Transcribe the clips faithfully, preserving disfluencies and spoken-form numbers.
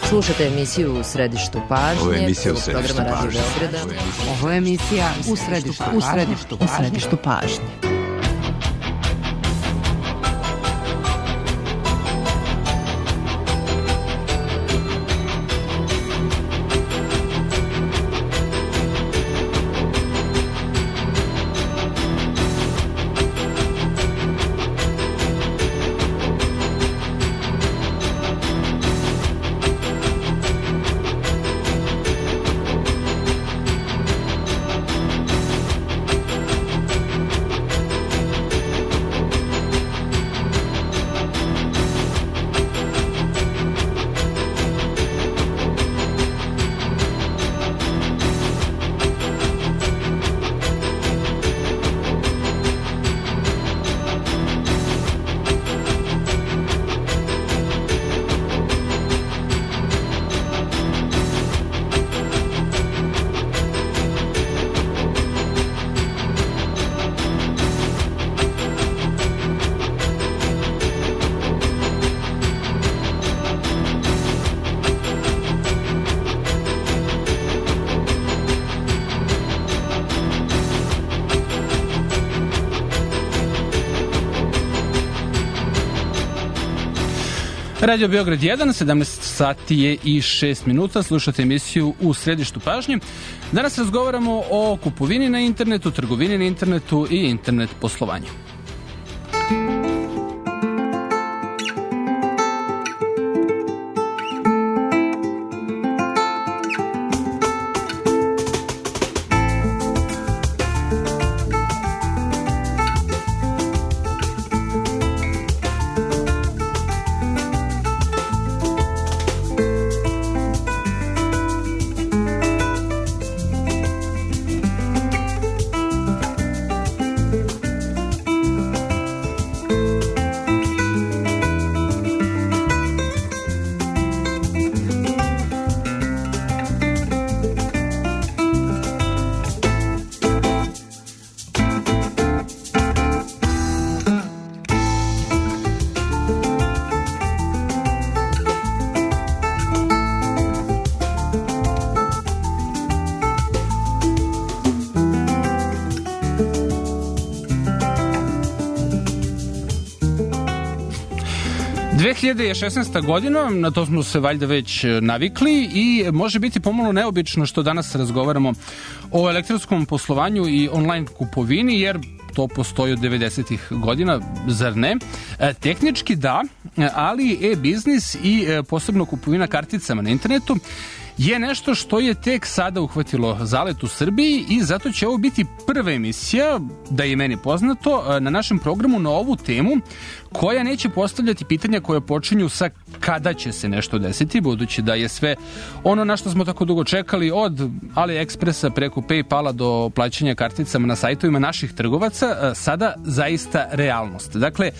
Slušate emisiju U središtu pažnje. Ovo je emisija U središtu pažnje. Ovo je emisija U središtu pažnje. U središtu, u središtu pažnje. Radio Beograd jedan, sedamnaest sati je i šest minuta, slušate emisiju U središtu pažnje. Danas razgovaramo o kupovini na internetu, trgovini na internetu i internet poslovanju. dve hiljade šesnaesta. godina, na to smo se valjda već navikli i može biti pomalo neobično što danas razgovaramo o elektronskom poslovanju i online kupovini, jer to postoji od devedesetih godina, zar ne? E, tehnički da, ali e-biznis i e, posebno kupovina karticama na internetu je nešto što je tek sada uhvatilo zalet u Srbiji i zato će ovo biti prva emisija, da je meni poznato, na našem programu na ovu temu, koja neće postavljati pitanja koje počinju sa kada će se nešto desiti, budući da je sve ono na što smo tako dugo čekali, od AliExpressa preko PayPala do plaćanja karticama na sajtovima naših trgovaca, sada zaista realnost. Dakle,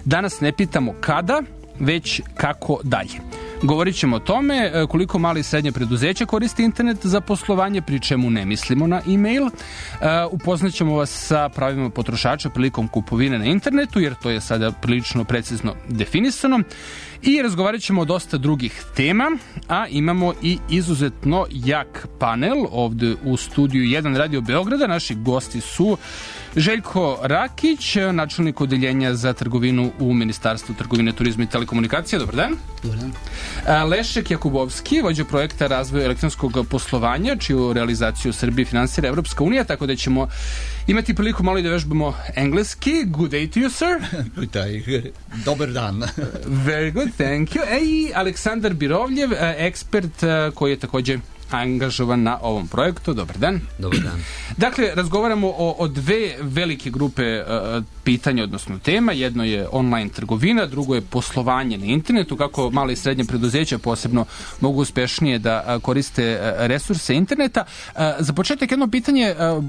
danas ne pitamo kada, već kako dalje. Govorit ćemo o tome koliko mali i srednje preduzeća koriste internet za poslovanje, pri čemu ne mislimo na e-mail. Upoznat ćemo vas sa pravima potrošača prilikom kupovine na internetu, jer to je sada prilično precizno definisano. I razgovarat ćemo o dosta drugih tema, a imamo i izuzetno jak panel ovde u studiju jedan Radio Beograda. Naši gosti su Željko Rakić, načelnik odeljenja za trgovinu u Ministarstvu trgovine, turizma i telekomunikacije. Dobar dan. Dobar dan. Lešek Jakubovski, vođa projekta razvoja elektronskog poslovanja, čiju realizaciju u Srbiji finansira Evropska unija, tako da ćemo imati priliku malo i da vežbamo engleski. Good day to you, sir. Good day. Dobar dan. Very good, thank you. E, i Aleksandar Birovljev, ekspert koji je takođe angažovan na ovom projektu. Dobar dan. Dobar dan. Dakle, razgovaramo o, o dve velike grupe uh, pitanja, odnosno tema. Jedno je online trgovina, drugo je poslovanje na internetu, kako male i srednje preduzeća posebno mogu uspešnije da uh, koriste uh, resurse interneta. Uh, za početak jedno pitanje uh,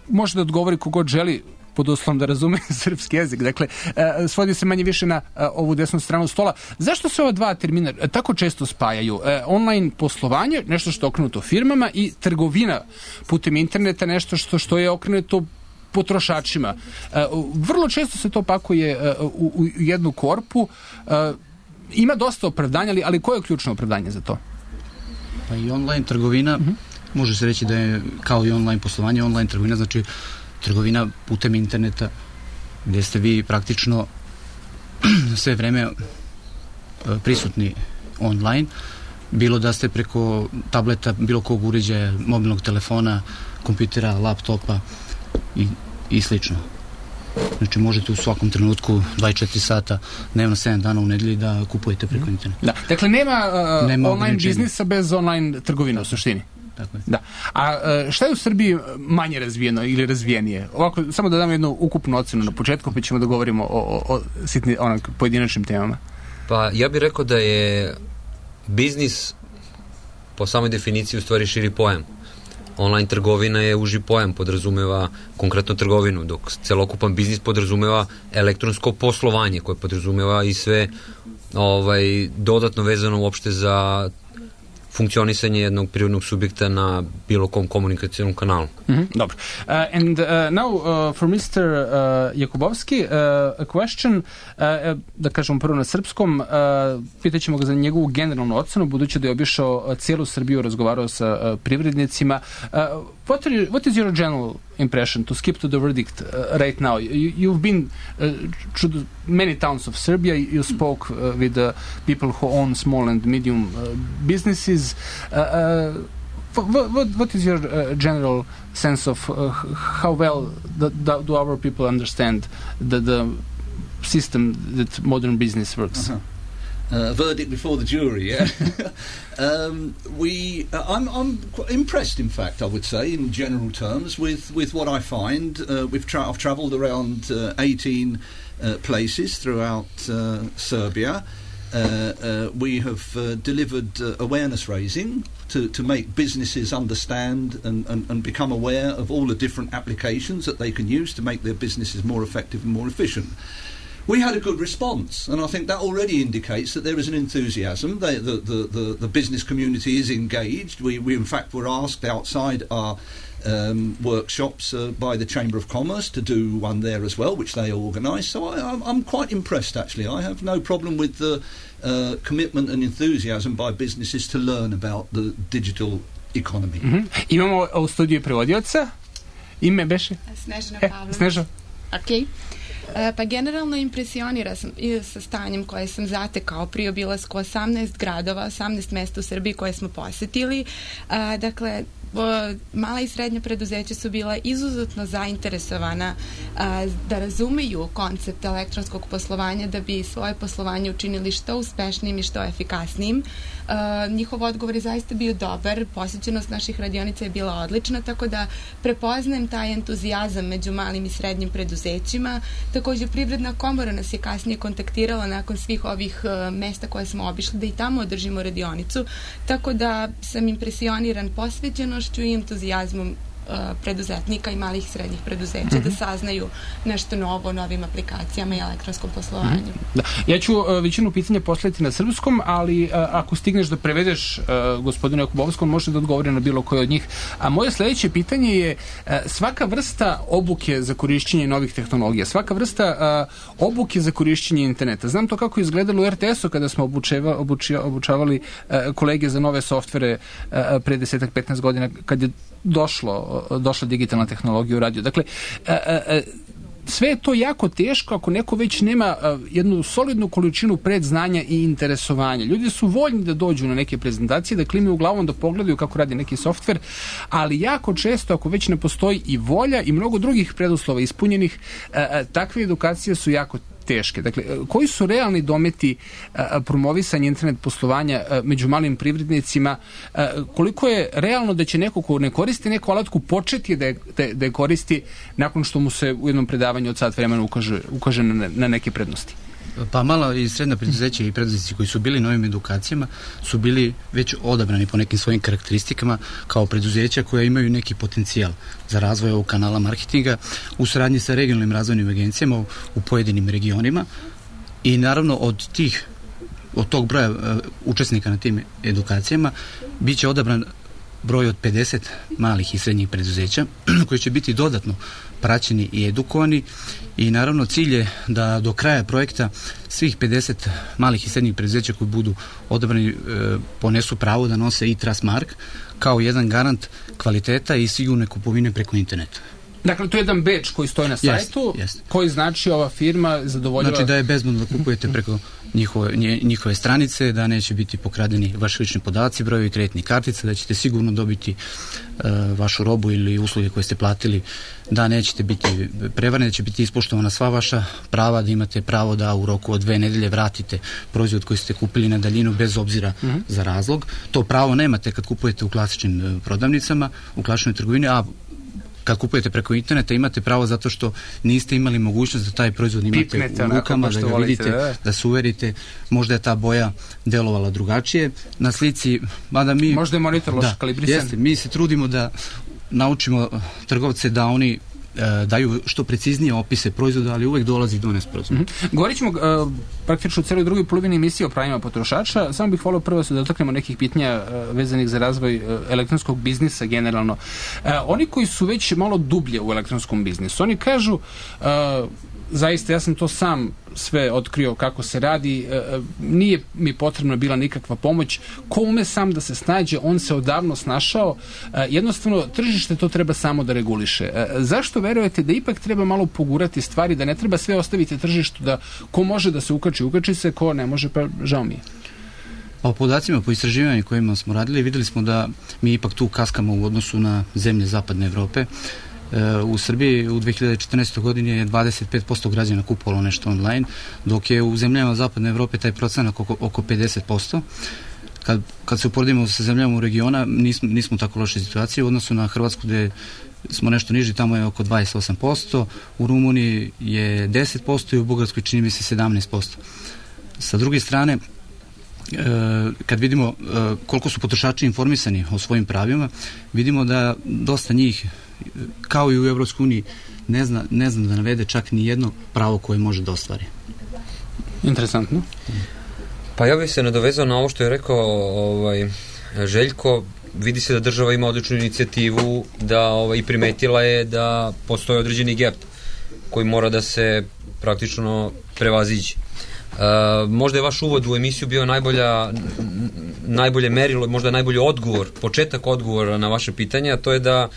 može da odgovori kogod želi, pod uslovom da razume srpski jezik. Dakle, e, svodi se manje više na e, ovu desnu stranu stola. Zašto se ova dva termina tako često spajaju? E, online poslovanje, nešto što je okrenuto firmama, i trgovina putem interneta, nešto što, što je okrenuto potrošačima. E, vrlo često se to pakuje e, u, u jednu korpu. E, ima dosta opravdanja, ali, ali koje je ključno opravdanje za to? Pa i online trgovina, uh-huh. može se reći da je kao i online poslovanje, online trgovina znači trgovina putem interneta gdje ste vi praktično sve vreme prisutni online, bilo da ste preko tableta, bilo kog uređaja, mobilnog telefona, kompjutera, laptopa i, i slično. Znači možete u svakom trenutku dvadeset četiri sata dnevno sedam dana u nedelji da kupujete preko interneta. Da. Dakle, nema, uh, nema online biznisa bez online trgovine u suštini. Tako je. Da. A šta je u Srbiji manje razvijeno ili razvijenije? Ovako, samo da dam jednu ukupnu ocenu na početku, pa ćemo da govorimo o, o, o sitni, onak, pojedinačnim temama. Pa ja bih rekao da je biznis po samoj definiciji u stvari širi pojam. Online trgovina je uži pojam, podrazumeva konkretno trgovinu, dok celokupan biznis podrazumeva elektronsko poslovanje koje podrazumeva i sve ovaj, dodatno vezano uopšte za funkcionisanje jednog prirodnog subjekta na bilo kom komunikacijnom kanalu. Mm-hmm. Dobro. Uh, and uh, now uh, for mister Uh, Jakubovski, uh, a question, uh, da kažemo prvo na srpskom, uh, pitaćemo ga za njegovu generalnu ocenu, budući da je obišao cijelu Srbiju, razgovarao sa uh, privrednicima. Uh, what, are you, what is your general impression, to skip to the verdict uh, right now? You, you've been uh, to the many towns of Serbia, you spoke uh, with the people who own small and medium uh, businesses. Uh, uh, What, what, what is your uh, general sense of uh, how well the, the, do our people understand the, the system that modern business works? Uh-huh. Uh, verdict before the jury, yeah. um, we, uh, I'm, I'm quite impressed, in fact, I would say, in general terms, with, with what I find. Uh, we've tra- I've travelled around uh, eighteen uh, places throughout uh, Serbia. Uh, uh, we have uh, delivered uh, awareness raising to, to make businesses understand and, and, and become aware of all the different applications that they can use to make their businesses more effective and more efficient. We had a good response, and I think that already indicates that there is an enthusiasm. They, the, the, the, the business community is engaged. We, we in fact were asked outside our um, workshops uh, by the Chamber of Commerce to do one there as well, which they organised. So I, I'm, I'm quite impressed, actually. I have no problem with the uh, commitment and enthusiasm by businesses to learn about the digital economy. Mm-hmm. Imamo u studiju prevodioca. Ime beše? Snežana e, Pavlović. Sneža. Okej. E, pa generalno impresionira sam i sa stanjem koje sam zatekao pri obilasku osamnaest gradova, osamnaest mesta u Srbiji koje smo posetili. E, dakle, mala i srednja preduzeća su bila izuzetno zainteresovana a, da razumeju koncept elektronskog poslovanja da bi svoje poslovanje učinili što uspešnijim i što efikasnijim. A, njihov odgovor je zaista bio dobar, posjećenost naših radionica je bila odlična, tako da prepoznajem taj entuzijazam među malim i srednjim preduzećima. Također Privredna komora nas je kasnije kontaktirala nakon svih ovih a, mesta koje smo obišli da i tamo održimo radionicu, tako da sam impresioniran posvećenošću i entuzijazmom uh, preduzetnika i malih i srednjih preduzeća mm-hmm. da saznaju nešto novo o novim aplikacijama i elektronskom poslovanju. Mm-hmm. Da. Ja ću uh, većinu pitanja postaviti na srpskom, ali uh, ako stigneš da prevedeš uh, gospodinu Jakubovskom, može da odgovori na bilo koje od njih. A moje sledeće pitanje je uh, svaka vrsta obuke za korišćenje novih tehnologija, svaka vrsta uh, obuke za korišćenje interneta. Znam to kako je izgledalo u er te esu kada smo obučeva, obuči, obučavali uh, kolege za nove softvere uh, pre desetak petnaest godina kad je došlo, došla digitalna tehnologija u radio. Dakle, uh, uh, sve je to jako teško ako neko već nema uh, jednu solidnu količinu predznanja i interesovanja. Ljudi su voljni da dođu na neke prezentacije, da klimaju glavom, da pogledaju kako radi neki softver, ali jako često ako već ne postoji i volja i mnogo drugih preduslova ispunjenih, uh, uh, takve edukacije su jako teške. Dakle, koji su realni dometi a, promovisanja internet poslovanja a, među malim privrednicima? A, koliko je realno da će neko ko ne koristi neku alatku početi da je, da, da je koristi nakon što mu se u jednom predavanju od sat vremena ukaže, ukaže na, na neke prednosti? Pa mala i srednja preduzeća i preduzetnici koji su bili na ovim edukacijama su bili već odabrani po nekim svojim karakteristikama kao preduzeća koja imaju neki potencijal za razvoj ovog kanala marketinga u saradnji sa regionalnim razvojnim agencijama u, u pojedinim regionima i naravno od tih od tog broja uh, učesnika na tim edukacijama bit će odabran broj od pedeset malih i srednjih preduzeća koji će biti dodatno praćeni i edukovani i naravno cilj je da do kraja projekta svih pedeset malih i srednjih preduzeća koji budu odabrani e, ponesu pravo da nose e-Trust mark kao jedan garant kvaliteta i sigurne kupovine preko interneta. Dakle, to je jedan bedž koji stoji na sajtu, yes, yes. koji znači ova firma zadovoljava... Znači da je bezbedno da kupujete preko njihove, njihove stranice, da neće biti pokradeni vaši lični podaci, brojevi kreditnih kartica, da ćete sigurno dobiti uh, vašu robu ili usluge koje ste platili, da nećete biti prevareni, da će biti ispoštovana sva vaša prava, da imate pravo da u roku od dve nedelje vratite proizvod koji ste kupili na daljinu bez obzira mm-hmm. za razlog. To pravo nemate kad kupujete u klasičnim prodavnicama, u klasičnoj trgovini, a kad kupujete preko interneta imate pravo zato što niste imali mogućnost da taj proizvod imate Pipnete, u rukama, da ga volite, vidite, da, da se uverite, možda je ta boja delovala drugačije. Na slici, mada mi... Možda je monitor loš kalibrisan. Jeste, mi se trudimo da naučimo trgovce da oni daju što preciznije opise proizvoda, ali uvek dolazi do nesporazuma. Mm-hmm. Govorit ćemo uh, praktično u celoj drugoj polovini emisije o pravima potrošača. Samo bih volio prvo se da dotaknemo nekih pitanja uh, vezanih za razvoj uh, elektronskog biznisa generalno. Uh, oni koji su već malo dublje u elektronskom biznisu, oni kažu uh, zaista, ja sam to sam sve otkrio kako se radi, e, nije mi potrebna bila nikakva pomoć, ko ume sam da se snađe, on se odavno snašao, e, jednostavno tržište to treba samo da reguliše. E, zašto verujete da ipak treba malo pogurati stvari, da ne treba sve ostaviti tržištu, da ko može da se ukači, ukači se, ko ne može, pa žao mi je. Po podacima, po istraživanju kojima smo radili, videli smo da mi ipak tu kaskamo u odnosu na zemlje zapadne Evrope. U Srbiji u dve hiljade četrnaestoj godini je dvadeset pet posto građana kupovalo nešto online, dok je u zemljama zapadne Evrope taj procenat oko, oko pedeset posto. Kad, kad se uporedimo sa zemljama u regiona, nismo, nismo u tako loše situacije u odnosu na Hrvatsku gde smo nešto niži, tamo je oko dvadeset osam posto, u Rumuniji je deset posto i u Bugarskoj čini mi se sedamnaest posto. Sa druge strane, kad vidimo koliko su potrošači informisani o svojim pravima, vidimo da dosta njih, kao i u Evropskoj uniji, ne zna, ne zna da navede čak ni jedno pravo koje može da ostvari. Interesantno. Pa ja bih se nadovezao na ovo što je rekao ovaj, Željko. Vidi se da država ima odličnu inicijativu da ovaj, primetila je da postoji određeni gap koji mora da se praktično prevaziđe. Uh, možda je vaš uvod u emisiju bio najbolja, najbolje merilo, možda najbolji odgovor, početak odgovora na vaše pitanje, a to je da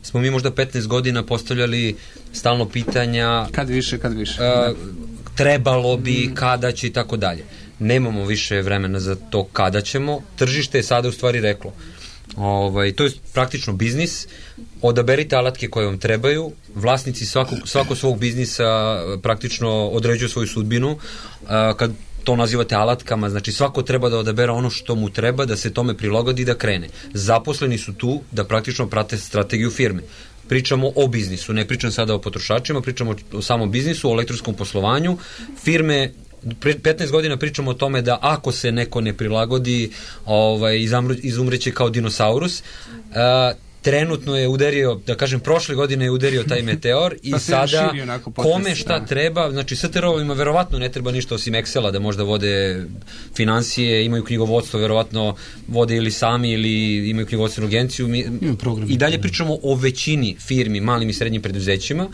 smo mi možda petnaest godina postavljali stalno pitanja kad više, kad više uh, trebalo bi, kada će i tako dalje. Nemamo više vremena za to kada ćemo, tržište je sada u stvari reklo. Ovaj, to je praktično biznis, odaberite alatke koje vam trebaju, vlasnici svako, svako svog biznisa praktično određuju svoju sudbinu, a, kad to nazivate alatkama, znači svako treba da odabera ono što mu treba, da se tome prilagodi i da krene. Zaposleni su tu da praktično prate strategiju firme. Pričamo o biznisu, ne pričam sada o potrošačima, pričamo o samom biznisu, o elektronskom poslovanju. Firme, petnaest godina pričamo o tome da ako se neko ne prilagodi, ovaj, izumreće kao dinosaurus. Uh, trenutno je udario, da kažem, prošle godine je udario taj meteor i sada kome šta treba, znači S T R-ovima verovatno ne treba ništa osim Excela da možda vode financije, imaju knjigovodstvo, verovatno vode ili sami ili imaju knjigovodstvenu agenciju. Mi, i dalje pričamo o većini firmi, malim i srednjim preduzećima,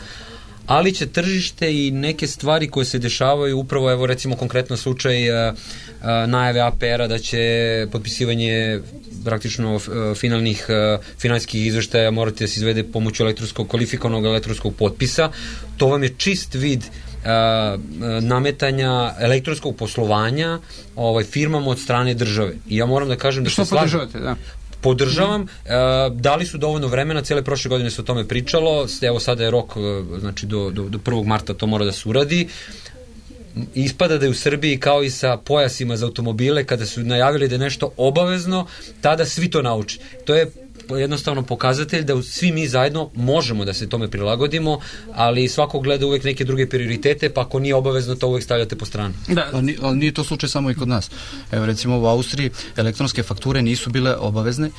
ali će tržište i neke stvari koje se dešavaju, upravo evo recimo konkretno slučaj uh, uh, najave A P R-a da će potpisivanje praktično uh, finalnih uh, finansijskih izveštaja morati da se izvede pomoću elektronskog, kvalifikovanog elektronskog potpisa. To vam je čist vid uh, nametanja elektronskog poslovanja ovaj, firmama od strane države. I ja moram da kažem da što se slažem. podržavate, da? Podržavam, da li su dovoljno vremena, cijele prošle godine se o tome pričalo, evo sada je rok, znači do, do, do prvog marta to mora da se uradi. Ispada da je u Srbiji kao i sa pojasima za automobile, kada su najavili da je nešto obavezno, tada svi to nauče. To je jednostavno pokazatelj da svi mi zajedno možemo da se tome prilagodimo, ali svako gleda uvek neke druge prioritete, pa ako nije obavezno to uvek stavljate po stranu. Da. Ali, ali nije to slučaj samo i kod nas. Evo recimo u Austriji elektronske fakture nisu bile obavezne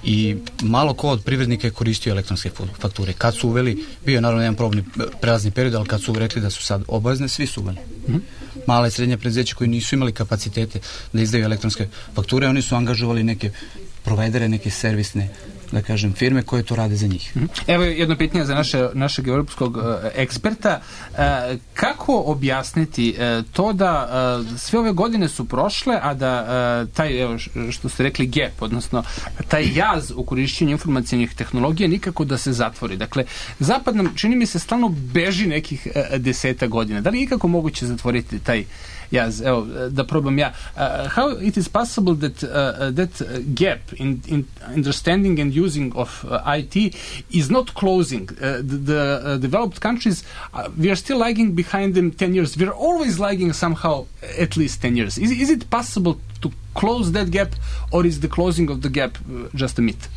i malo ko od privrednika je koristio elektronske fakture. Kad su uveli, bio je naravno jedan probni prelazni period, ali kad su rekli da su sad obavezne, svi su uveli. Mm-hmm. Mala i srednja preduzeća koji nisu imali kapacitete da izdaju elektronske fakture, oni su angažovali neke provajdere, neke servisne, da kažem, firme koje to rade za njih. Evo jedno pitanje za naše, našeg europskog uh, eksperta. Uh, kako objasniti uh, to da uh, sve ove godine su prošle, a da uh, taj, evo, što ste rekli, gap, odnosno taj jaz u korišćenju informacijnih tehnologija nikako da se zatvori. Dakle, zapad nam, čini mi se, stalno beži nekih uh, deseta godina. Da li je ikako moguće zatvoriti taj jaz? Evo, da probam ja. Uh, how it is possible that, uh, that gap in, in understanding and using of uh, I T is not closing. Uh, the the uh, developed countries, uh, we are still lagging behind them ten years. We are always lagging somehow at least ten years. Is, is it possible to close that gap, or is the closing of the gap uh, just a myth?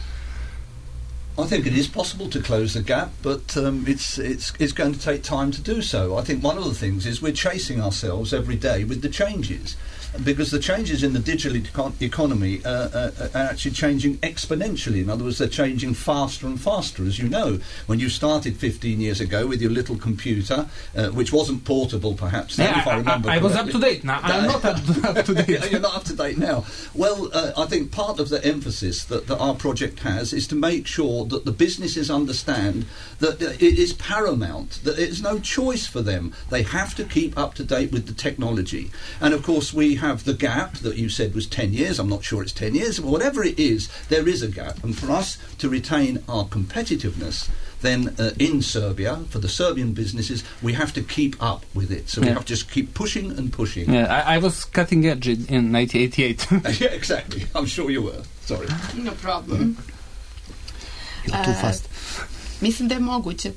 I think it is possible to close the gap, but um, it's it's it's going to take time to do so. I think one of the things is we're chasing ourselves every day with the changes, because the changes in the digital econ- economy uh, uh, are actually changing exponentially. In other words, they're changing faster and faster. As you know, when you started fifteen years ago with your little computer, uh, which wasn't portable perhaps then, yeah, if I, I remember I, I was up correctly. to date. Now I'm not up, up to date. You're not up to date now. Well, uh, I think part of the emphasis that, that our project has is to make sure that the businesses understand that it is paramount, that there's no choice for them. They have to keep up to date with the technology. And of course we have the gap that you said was ten years. I'm not sure it's ten years, but whatever it is, there is a gap. And for us to retain our competitiveness, then uh, in Serbia, for the Serbian businesses, we have to keep up with it. So yeah. we have to just keep pushing and pushing. Yeah, I, I was cutting edge in nineteen eighty-eight. Yeah, exactly. I'm sure you were. Sorry. No problem. You're too fast. Mislim da je moguće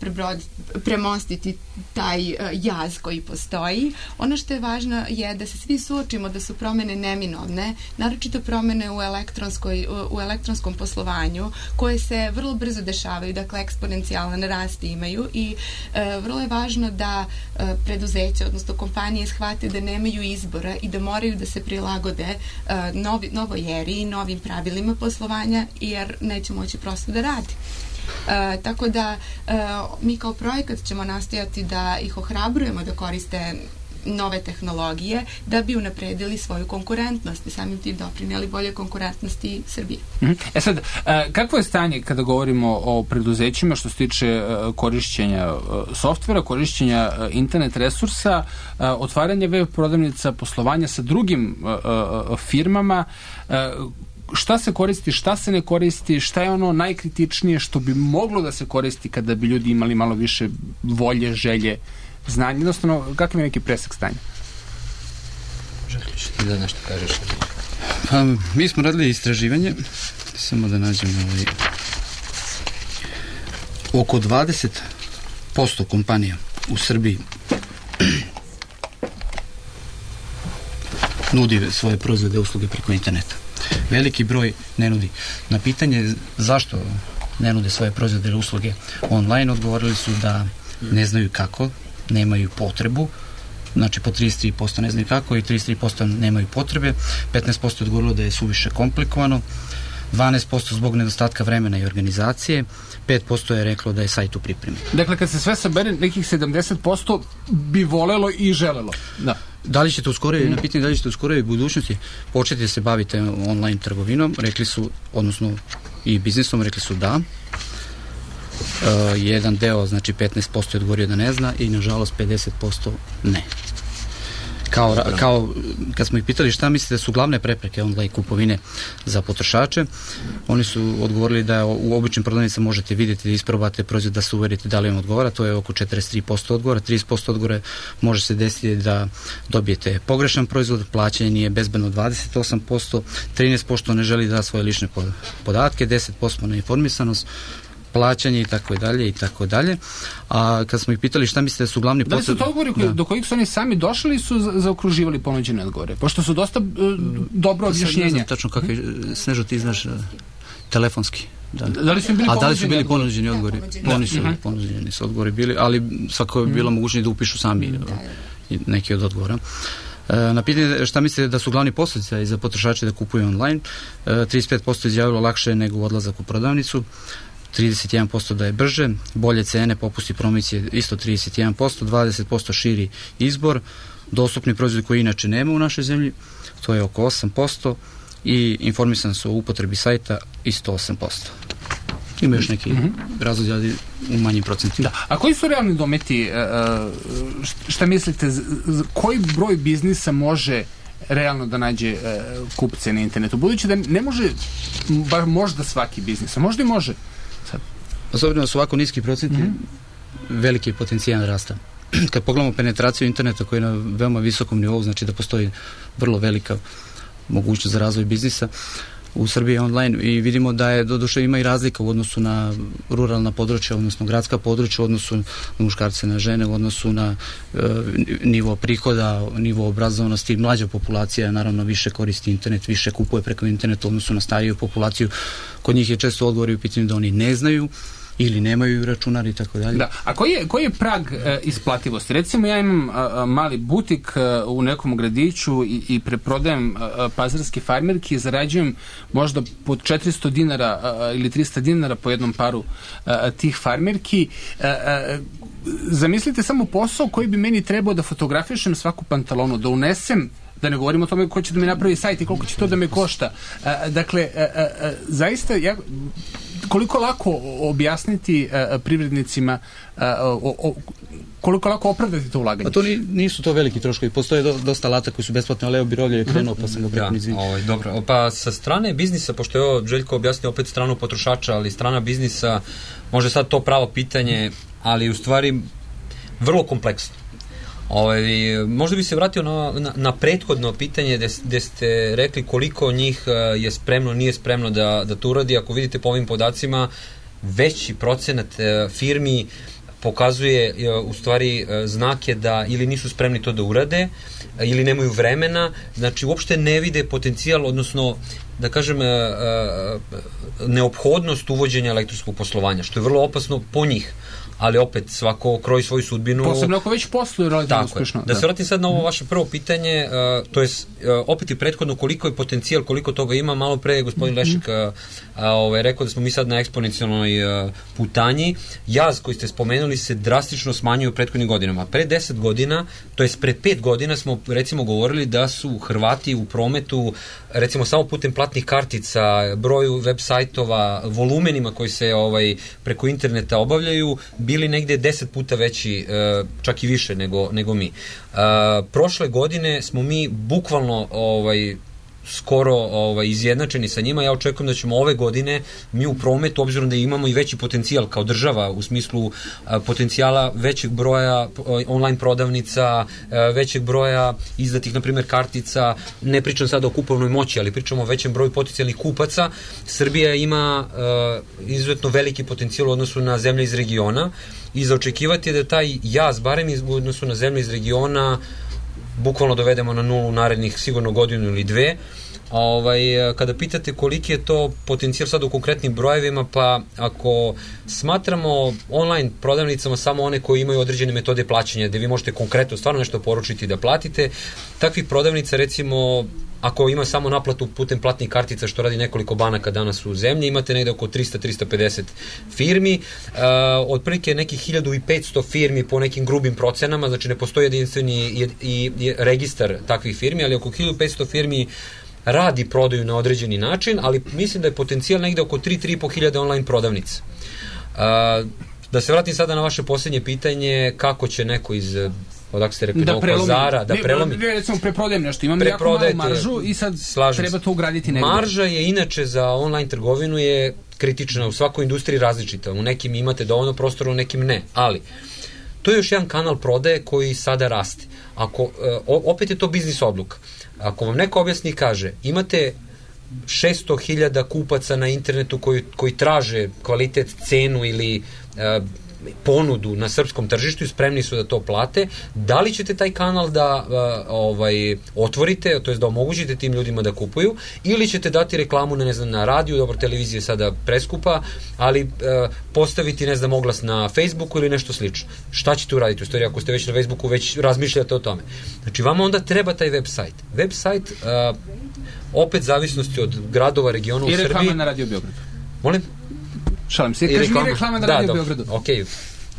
premostiti taj uh, jaz koji postoji. Ono što je važno je da se svi suočimo da su promene neminovne, naročito promene u, elektronskoj, u, u elektronskom poslovanju, koje se vrlo brzo dešavaju, dakle eksponencijalan rast imaju i uh, vrlo je važno da uh, preduzeća, odnosno kompanije shvate da nemaju izbora i da moraju da se prilagode uh, novi, novoj eri i novim pravilima poslovanja, jer neće moći prosto da radi. Uh, tako da uh, mi kao projekat ćemo nastojati da ih ohrabrujemo da koriste nove tehnologije da bi unapredili svoju konkurentnost i samim tim doprinijeli bolje konkurentnosti Srbije. Mm-hmm. E sad, uh, kakvo je stanje kada govorimo o preduzećima što se tiče uh, korišćenja uh, softvera, korišćenja uh, internet resursa, uh, otvaranja web prodavnica, poslovanja sa drugim uh, uh, firmama, uh, šta se koristi, šta se ne koristi, šta je ono najkritičnije što bi moglo da se koristi kada bi ljudi imali malo više volje, želje, znanja, jednostavno kakav je neki presek stanja? Želiš ti da nešto kažeš? Pa, mi smo radili istraživanje, samo da nađemo ovaj, oko dvadeset posto kompanija u Srbiji nudi svoje proizvode i usluge preko interneta. Veliki broj ne nudi. Na pitanje zašto ne nude svoje proizvode i usluge online, odgovorili su da ne znaju kako, nemaju potrebu, znači po trideset tri posto ne znaju kako i trideset tri posto nemaju potrebe, petnaest posto je odgovorilo da je suviše komplikovano, dvanaest posto zbog nedostatka vremena i organizacije, pet posto je reklo da je sajt u pripremi. Dakle, kad se sve sabere, nekih sedamdeset posto bi volelo i želelo. Da. Da li ćete uskoro, mm. na pitanje da li ćete uskoro i budućnosti početi da se bavite online trgovinom, rekli su, odnosno i biznisom, rekli su da. Uh, jedan deo, znači petnaest posto je odgovorio da ne zna i nažalost pedeset posto ne. Kao, kao kad smo ih pitali šta mislite da su glavne prepreke online kupovine za potrošače, oni su odgovorili da u običnim prodavnicama možete vidjeti da isprobate proizvod, da se uverite da li vam odgovara, to je oko četrdeset tri posto odgovora, trideset posto odgovora može se desiti da dobijete pogrešan proizvod, plaćanje nije bezbedno dvadeset osam posto, trinaest posto ne želi da da svoje lične podatke, deset posto neinformisanost, plaćanje i tako dalje i tako dalje. A kad smo ih pitali šta mislite da su glavni potreb... Da li su to odgovori koji, do kojih su oni sami došli ili su zaokruživali ponuđene odgovore? Pošto su dosta uh, dobro objašnjenja. Ne znam tačno kako je, Snežo, ti znaš uh, telefonski. Da. Da li su bili A da li su bili ponuđeni odgovori? Da, oni su ponuđeni su odgovori bili, ali svako je bilo mogućno da upišu sami da, da. neki od odgovora. Na pitanje šta mislite da su glavni posljedice za potrošače da kupuju online, trideset pet posto izjavilo lakše nego odlazak u prodavnicu, trideset jedan posto da je brže, bolje cene, popusti, promocije isto trideset jedan posto, dvadeset posto širi izbor, dostupni proizvodi koji inače nema u našoj zemlji, to je oko osam posto, i informisan su o upotrebi sajta isto osam posto. Ima još neki mm-hmm. razlozi, ali u manjim procentima. Da. A koji su realni dometi, šta mislite, koji broj biznisa može realno da nađe kupce na internetu? Budući da ne može, bar možda svaki biznis, a možda i može. Sad. Osobno su ovako niski procenti, mm-hmm. veliki potencijal rasta. Kad pogledamo penetraciju interneta koji je na veoma visokom nivou, znači da postoji vrlo velika mogućnost za razvoj biznisa u Srbiji online i vidimo da je doduše ima i razlika u odnosu na ruralna područja, odnosno gradska područja, u odnosu na muškarce, na žene, u odnosu na e, nivo prihoda, nivo obrazovanosti. Mlađa populacija naravno više koristi internet, više kupuje preko interneta u odnosu na stariju populaciju. Kod njih je često odgovor u pitanju da oni ne znaju ili nemaju računar i tako dalje. Da. A koji je, koji je prag e, isplativosti? Recimo ja imam a, a, mali butik a, u nekom gradiću i, i preprodajem a, a, pazarske farmerke i zarađujem možda pod četiristo dinara a, ili tristo dinara po jednom paru a, a, tih farmerki. A, a, zamislite samo posao koji bi meni trebao da fotografišem svaku pantalonu, da unesem, da ne govorim o tome ko će da mi napravi sajt i koliko će to da me košta. A, dakle, a, a, a, zaista ja, koliko lako objasniti a, privrednicima a, o, o, koliko lako opravdati to ulaganje? Pa to ni, nisu to veliki troškovi. Postoje do, dosta alata koji su besplatni, ali Leo Birovlje je krenuo, pa sam ga preko izvinio. Ovaj, dobro. Pa sa strane biznisa, pošto je ovo Željko objasnio opet stranu potrošača, ali strana biznisa, može sad to pravo pitanje, ali u stvari vrlo kompleksno. Ovaj, možda bi se vratio na, na, na prethodno pitanje gde ste rekli koliko njih je spremno, nije spremno da, da to uradi. Ako vidite po ovim podacima, veći procenat firmi pokazuje u stvari znake da ili nisu spremni to da urade, ili nemaju vremena, znači uopšte ne vide potencijal, odnosno da kažem neophodnost uvođenja elektronskog poslovanja, što je vrlo opasno po njih. Ali opet svako kroji svoju sudbinu. Posebno ako već posluju relativno uspešno. Da, da se vratim sad na ovo vaše prvo pitanje, uh, to je uh, opet i prethodno koliko je potencijal, koliko toga ima. Malo pre je gospodin mm-hmm. Lešik uh, uh, ovaj, rekao da smo mi sad na eksponencijalnoj uh, putanji. Jaz koji ste spomenuli se drastično smanjuje u prethodnim godinama. Pre deset godina, to jest pre pet godina smo recimo govorili da su Hrvati u prometu, recimo samo putem platnih kartica, broju web sajtova, volumenima koji se ovaj, preko interneta obavljaju, bili negde deset puta veći, čak i više nego, nego mi. Prošle godine smo mi bukvalno ovaj, skoro ovaj, izjednačeni sa njima. Ja očekujem da ćemo ove godine mi u prometu, obzirom da imamo i veći potencijal kao država u smislu a, potencijala većeg broja online prodavnica, a, većeg broja izdatih, na primjer, kartica, ne pričam sada o kupovnoj moći, ali pričamo o većem broju potencijalnih kupaca. Srbija ima a, izuzetno veliki potencijal u odnosu na zemlje iz regiona i za očekivati je da taj jaz, barem iz, u odnosu na zemlje iz regiona, bukvalno dovedemo na nulu narednih sigurno godinu ili dve. Ovaj, kada pitate koliki je to potencijal sad u konkretnim brojevima, pa ako smatramo online prodavnicama samo one koji imaju određene metode plaćanja, gde vi možete konkretno stvarno nešto poručiti da platite, takvih prodavnica recimo, ako ima samo naplatu putem platnih kartica, što radi nekoliko banaka danas u zemlji, imate negde oko trista do trista pedeset firmi, uh, otprilike nekih hiljadu i petsto firmi po nekim grubim procenama, znači ne postoji jedinstveni i, i, i registar takvih firmi, ali oko hiljadu i petsto firmi radi prodaju na određeni način, ali mislim da je potencijal negde oko tri do tri i po hiljade online prodavnica. Uh, da se vratim sada na vaše posljednje pitanje, kako će neko iz odakle ste rekli, Novog Pazara, da prelomi. Ne, recimo preprodajem nešto, imam jako malu maržu i sad treba to ugraditi negdje. Marža je inače za online trgovinu je kritična, u svakoj industriji različita, u nekim imate dovoljno prostora, u nekim ne, ali to je još jedan kanal prodaje koji sada raste. Ako, opet je to biznis odluka. Ako vam neko objasni i kaže, imate šesto hiljada kupaca na internetu koji, koji traže kvalitet, cenu ili uh, ponudu na srpskom tržištu i spremni su da to plate, da li ćete taj kanal da uh, ovaj, otvorite, to jest da omogućite tim ljudima da kupuju, ili ćete dati reklamu na, ne znam, na radiju, dobro, televizija je sada preskupa, ali uh, postaviti, ne znam, oglas na Facebooku ili nešto slično. Šta ćete uraditi u stvari ako ste već na Facebooku, već razmišljate o tome? Znači, vama onda treba taj web sajt. Web sajt, uh, opet zavisnosti od gradova, regiona u Srbiji. I reklama na Radio Beogradu. Molim? Šalim se, kaži mi reklama na da, Radio Beogradu. Ok,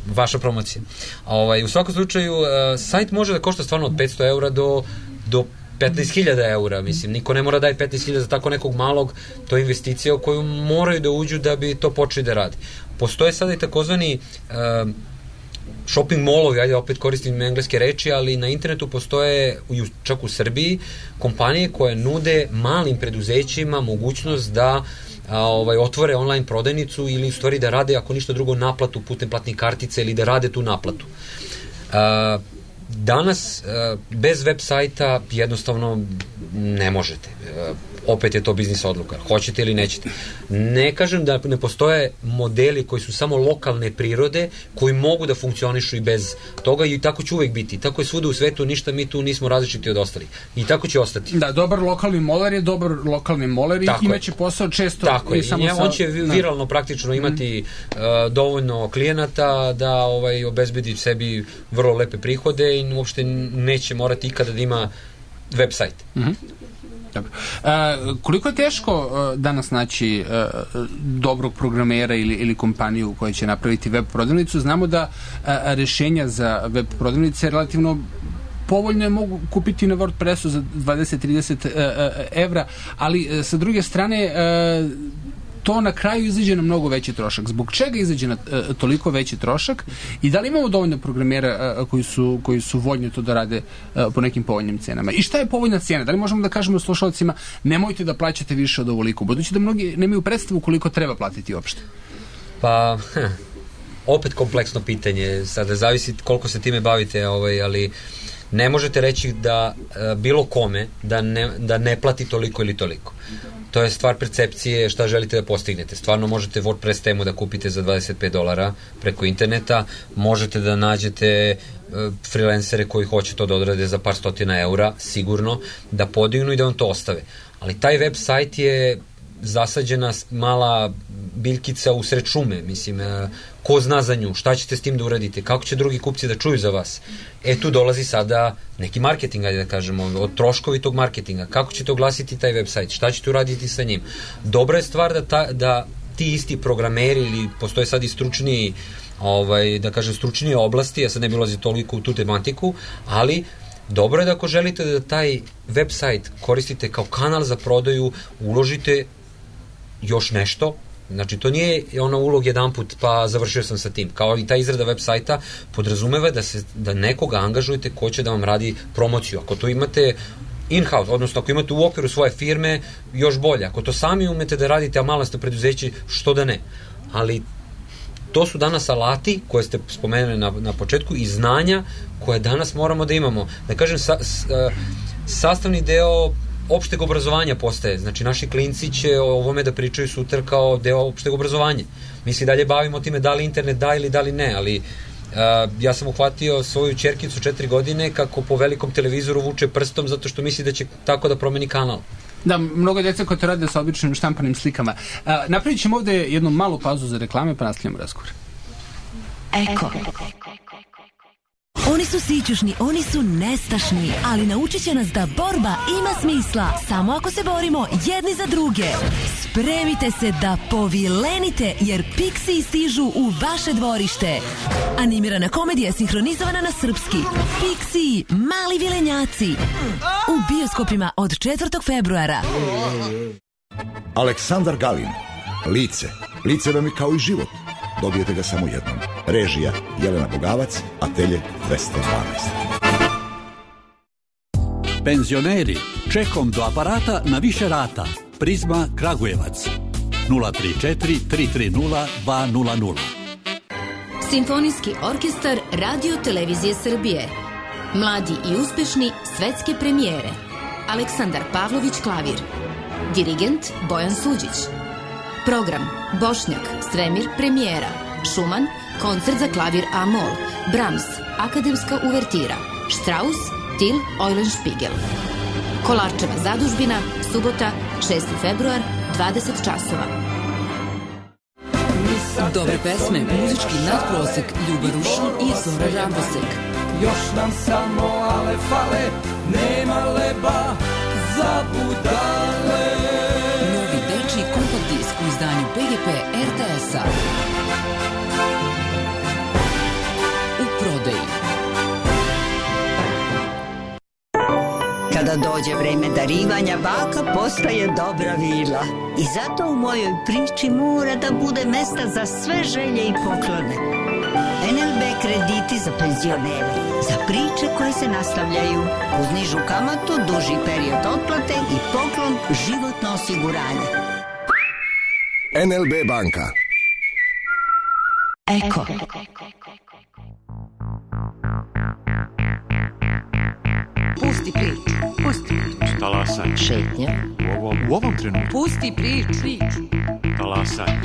vaša promocija. Ovaj, u svakom slučaju, uh, sajt može da košta stvarno od petsto eura do, do petnaest hiljada eura, mislim, niko ne mora daje petnaest hiljada za tako nekog malog, to je investicija u koju moraju da uđu da bi to počeli da radi. Postoje sada i takozvani uh, shopping mallovi, ajde opet koristim engleske reči, ali na internetu postoje, čak u Srbiji, kompanije koje nude malim preduzećima mogućnost da a, ovaj, otvore online prodajnicu ili u stvari da rade, ako ništa drugo, naplatu putem platnih kartica ili da rade tu naplatu. A, danas, a, bez web sajta jednostavno ne možete. A, opet je to biznis odluka. Hoćete ili nećete. Ne kažem da ne postoje modeli koji su samo lokalne prirode, koji mogu da funkcionišu i bez toga i tako će uvek biti. Tako je svuda u svetu, ništa mi tu nismo različiti od ostalih. I tako će ostati. Da, dobar lokalni moler je dobar lokalni moler i imaće posao često. Tako je. Samo I sa... on će viralno praktično imati mm. uh, dovoljno klijenata da ovaj, obezbedi sebi vrlo lepe prihode i uopšte neće morati ikada da ima web sajt. Mhm. Dobro. A, koliko je teško a, danas naći a, dobrog programera ili, ili kompaniju koja će napraviti web prodavnicu? Znamo da a, rešenja za web prodavnice relativno povoljno je mogu kupiti na WordPressu za dvadeset do trideset evra, ali a, sa druge strane a, to na kraju izađe na mnogo veći trošak. Zbog čega izađe na uh, toliko veći trošak i da li imamo dovoljno programera uh, koji su, koji su voljni to da rade uh, po nekim povoljnim cenama? I šta je povoljna cena? Da li možemo da kažemo slušalcima nemojte da plaćate više od ovoliko, budući da mnogi nemaju predstavu koliko treba platiti uopšte? Pa, hm, opet kompleksno pitanje. Sada zavisi koliko se time bavite, ovaj, ali ne možete reći da uh, bilo kome da ne, da ne plati toliko ili toliko. To je stvar percepcije šta želite da postignete. Stvarno možete WordPress temu da kupite za dvadeset pet dolara preko interneta, možete da nađete uh, freelancere koji hoće to da odrade za par stotina eura, sigurno, da podignu i da vam to ostave. Ali taj web sajt je zasađena mala biljkica u sred šume, mislim, uh, ko zna za nju, šta ćete s tim da uradite, kako će drugi kupci da čuju za vas. E tu dolazi sada neki marketing, ajde da kažemo, od troškovi tog marketinga, kako ćete oglasiti taj web sajt, šta ćete uraditi sa njim. Dobra je stvar da, ta, da ti isti programeri ili postoje sad i stručniji, ovaj, da kažem, stručnije oblasti, ja sad ne bi ulazio toliko u tu tematiku, ali dobro je da ako želite da taj web sajt koristite kao kanal za prodaju, uložite još nešto. Znači, to nije ono ulog jedan put pa završio sam sa tim. Kao i ta izrada web sajta podrazumeva da, se, da nekoga angažujete ko će da vam radi promociju. Ako to imate in-house, odnosno ako imate u okviru svoje firme, još bolje. Ako to sami umete da radite, a malo ste preduzeći, što da ne. Ali to su danas alati koje ste spomenuli na, na početku i znanja koje danas moramo da imamo. Da kažem, sa, s, sastavni deo opšteg obrazovanja postaje. Znači, naši klinci će o ovome da pričaju sutra kao deo opšteg obrazovanja. Mi se dalje bavimo time da li internet da ili da li ne, ali uh, ja sam uhvatio svoju ćerkicu četiri godine kako po velikom televizoru vuče prstom zato što misli da će tako da promeni kanal. Da, mnogo djeca koje to rade sa običnim štampanim slikama. Uh, napravit ćemo ovde jednu malu pauzu za reklame pa nastavljamo razgovor. Eko. Oni su sićušni, oni su nestašni, ali naučit će nas da borba ima smisla samo ako se borimo jedni za druge. Spremite se da povilenite, jer Pixiji stižu u vaše dvorište. Animirana komedija sinhronizovana na srpski. Pixiji, mali vilenjaci. U bioskopima od četvrtog februara. Aleksandar Galin. Lice. Lice vam je kao i život. Dobijete ga samo jednom. Režija Jelena Bogavac, Atelje dvesta dvanaest. Penzioneri, čekom do aparata na više rata. Prizma Kragujevac. nula tri četiri tri tri nula dva nula nula. Simfonijski orkestar Radio Televizije Srbije. Mladi i uspešni svetske premijere. Aleksandar Pavlović klavir. Dirigent Bojan Suđić. Program Bošnjak, Sremir, premijera. Šuman, koncert za klavir A-mol. Brahms, akademska uvertira. Strauss, Til, Eulenspiegel. Kolarčeva zadužbina, subota, šesti februar, dvadeset časova. Dobre pesme, muzički nadprosek, Ljuba Rušan i Zora Rabosek. Još nam samo ale fale, nema leba za budale. Novi dečiji kompakt disk u izdanju P G P R T S-a. U prodaji. Kada Kada dođe vreme darivanja, baka postaje dobra vila. I zato u mojoj priči mora da bude mesta za sve želje i poklone. en el be krediti za penzionere, za priče koje se nastavljaju, uz nižu kamatu, duži period otplate i poklon životno osiguranje. en el be banka. Eko. Pusti priču, pusti priču. Talasaj. Šetnja. U ovom, u ovom trenutku. Pusti priču. Talasaj.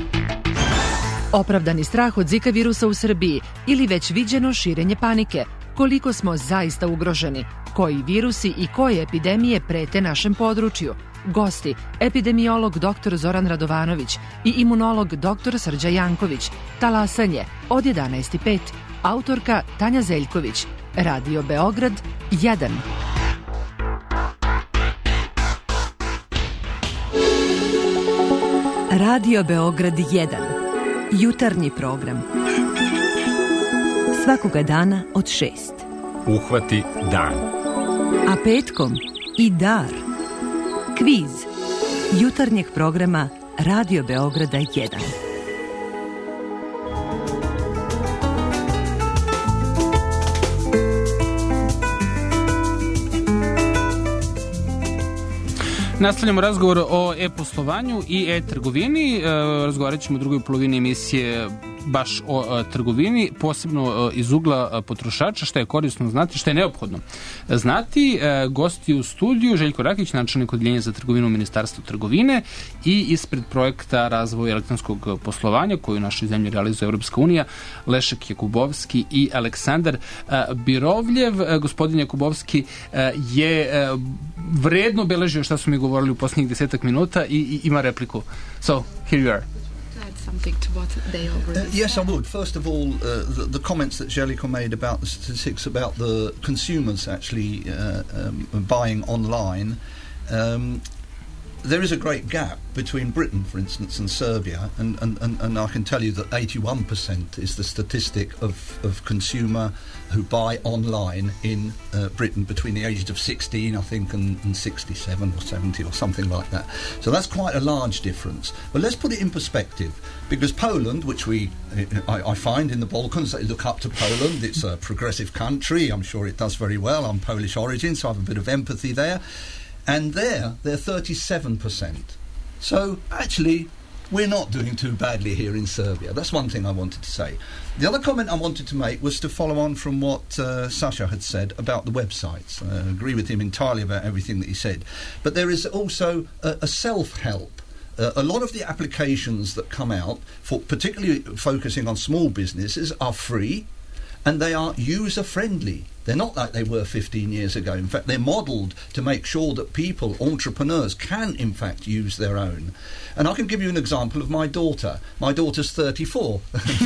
Opravdani strah od Zika virusa u Srbiji ili već viđeno širenje panike. Koliko smo zaista ugroženi? Koji virusi i koje epidemije prete našem području? Gosti, epidemiolog doktor Zoran Radovanović i imunolog doktor Srđa Janković. Talasanje od jedanaest i pet. Autorka Tanja Zeljković. Radio Beograd jedan. Radio Beograd jedan. Jutarnji program. Svakoga dana od šest. Uhvati dan. A petkom i dar. Kviz. Jutarnjeg programa Radio Beograda jedan. Nastavljamo razgovor o e-poslovanju i e-trgovini. Razgovarat ćemo u drugoj polovini emisije baš o trgovini, posebno iz ugla potrošača, šta je korisno znati, šta je neophodno znati. Gosti u studiju Željko Rakić, načelnik odeljenja za trgovinu u Ministarstvu trgovine, i ispred projekta razvoja elektronskog poslovanja koju u našoj zemlji realizuje Evropska unija, Lešek Jakubovski i Aleksandar Birovljev. Gospodin Jakubovski je vredno beležio šta su mi govorili u posljednjih desetak minuta i, i ima repliku. So, here you are. Something to what they already uh, yes, I would. First of all, uh, the, the comments that Jellico made about the statistics about the consumers actually uh, um, buying online. Um, there is a great gap between Britain, for instance, and Serbia, and, and, and, and I can tell you that eighty-one percent is the statistic of, of consumer who buy online in uh, Britain between the ages of sixteen, I think, and, and sixty-seven or seventy or something like that. So that's quite a large difference. But let's put it in perspective, because Poland, which we, I, I find in the Balkans, they look up to Poland. It's a progressive country. I'm sure it does very well. I'm Polish origin, so I have a bit of empathy there. And there, they're thirty-seven percent. So, actually, we're not doing too badly here in Serbia. That's one thing I wanted to say. The other comment I wanted to make was to follow on from what uh, Sasha had said about the websites. I agree with him entirely about everything that he said. But there is also a, a self-help. Uh, a lot of the applications that come out, for particularly focusing on small businesses, are free and they are user-friendly. They're not like they were fifteen years ago. In fact, they're modelled to make sure that people, entrepreneurs, can in fact use their own. And I can give you an example of my daughter. My daughter's thirty-four,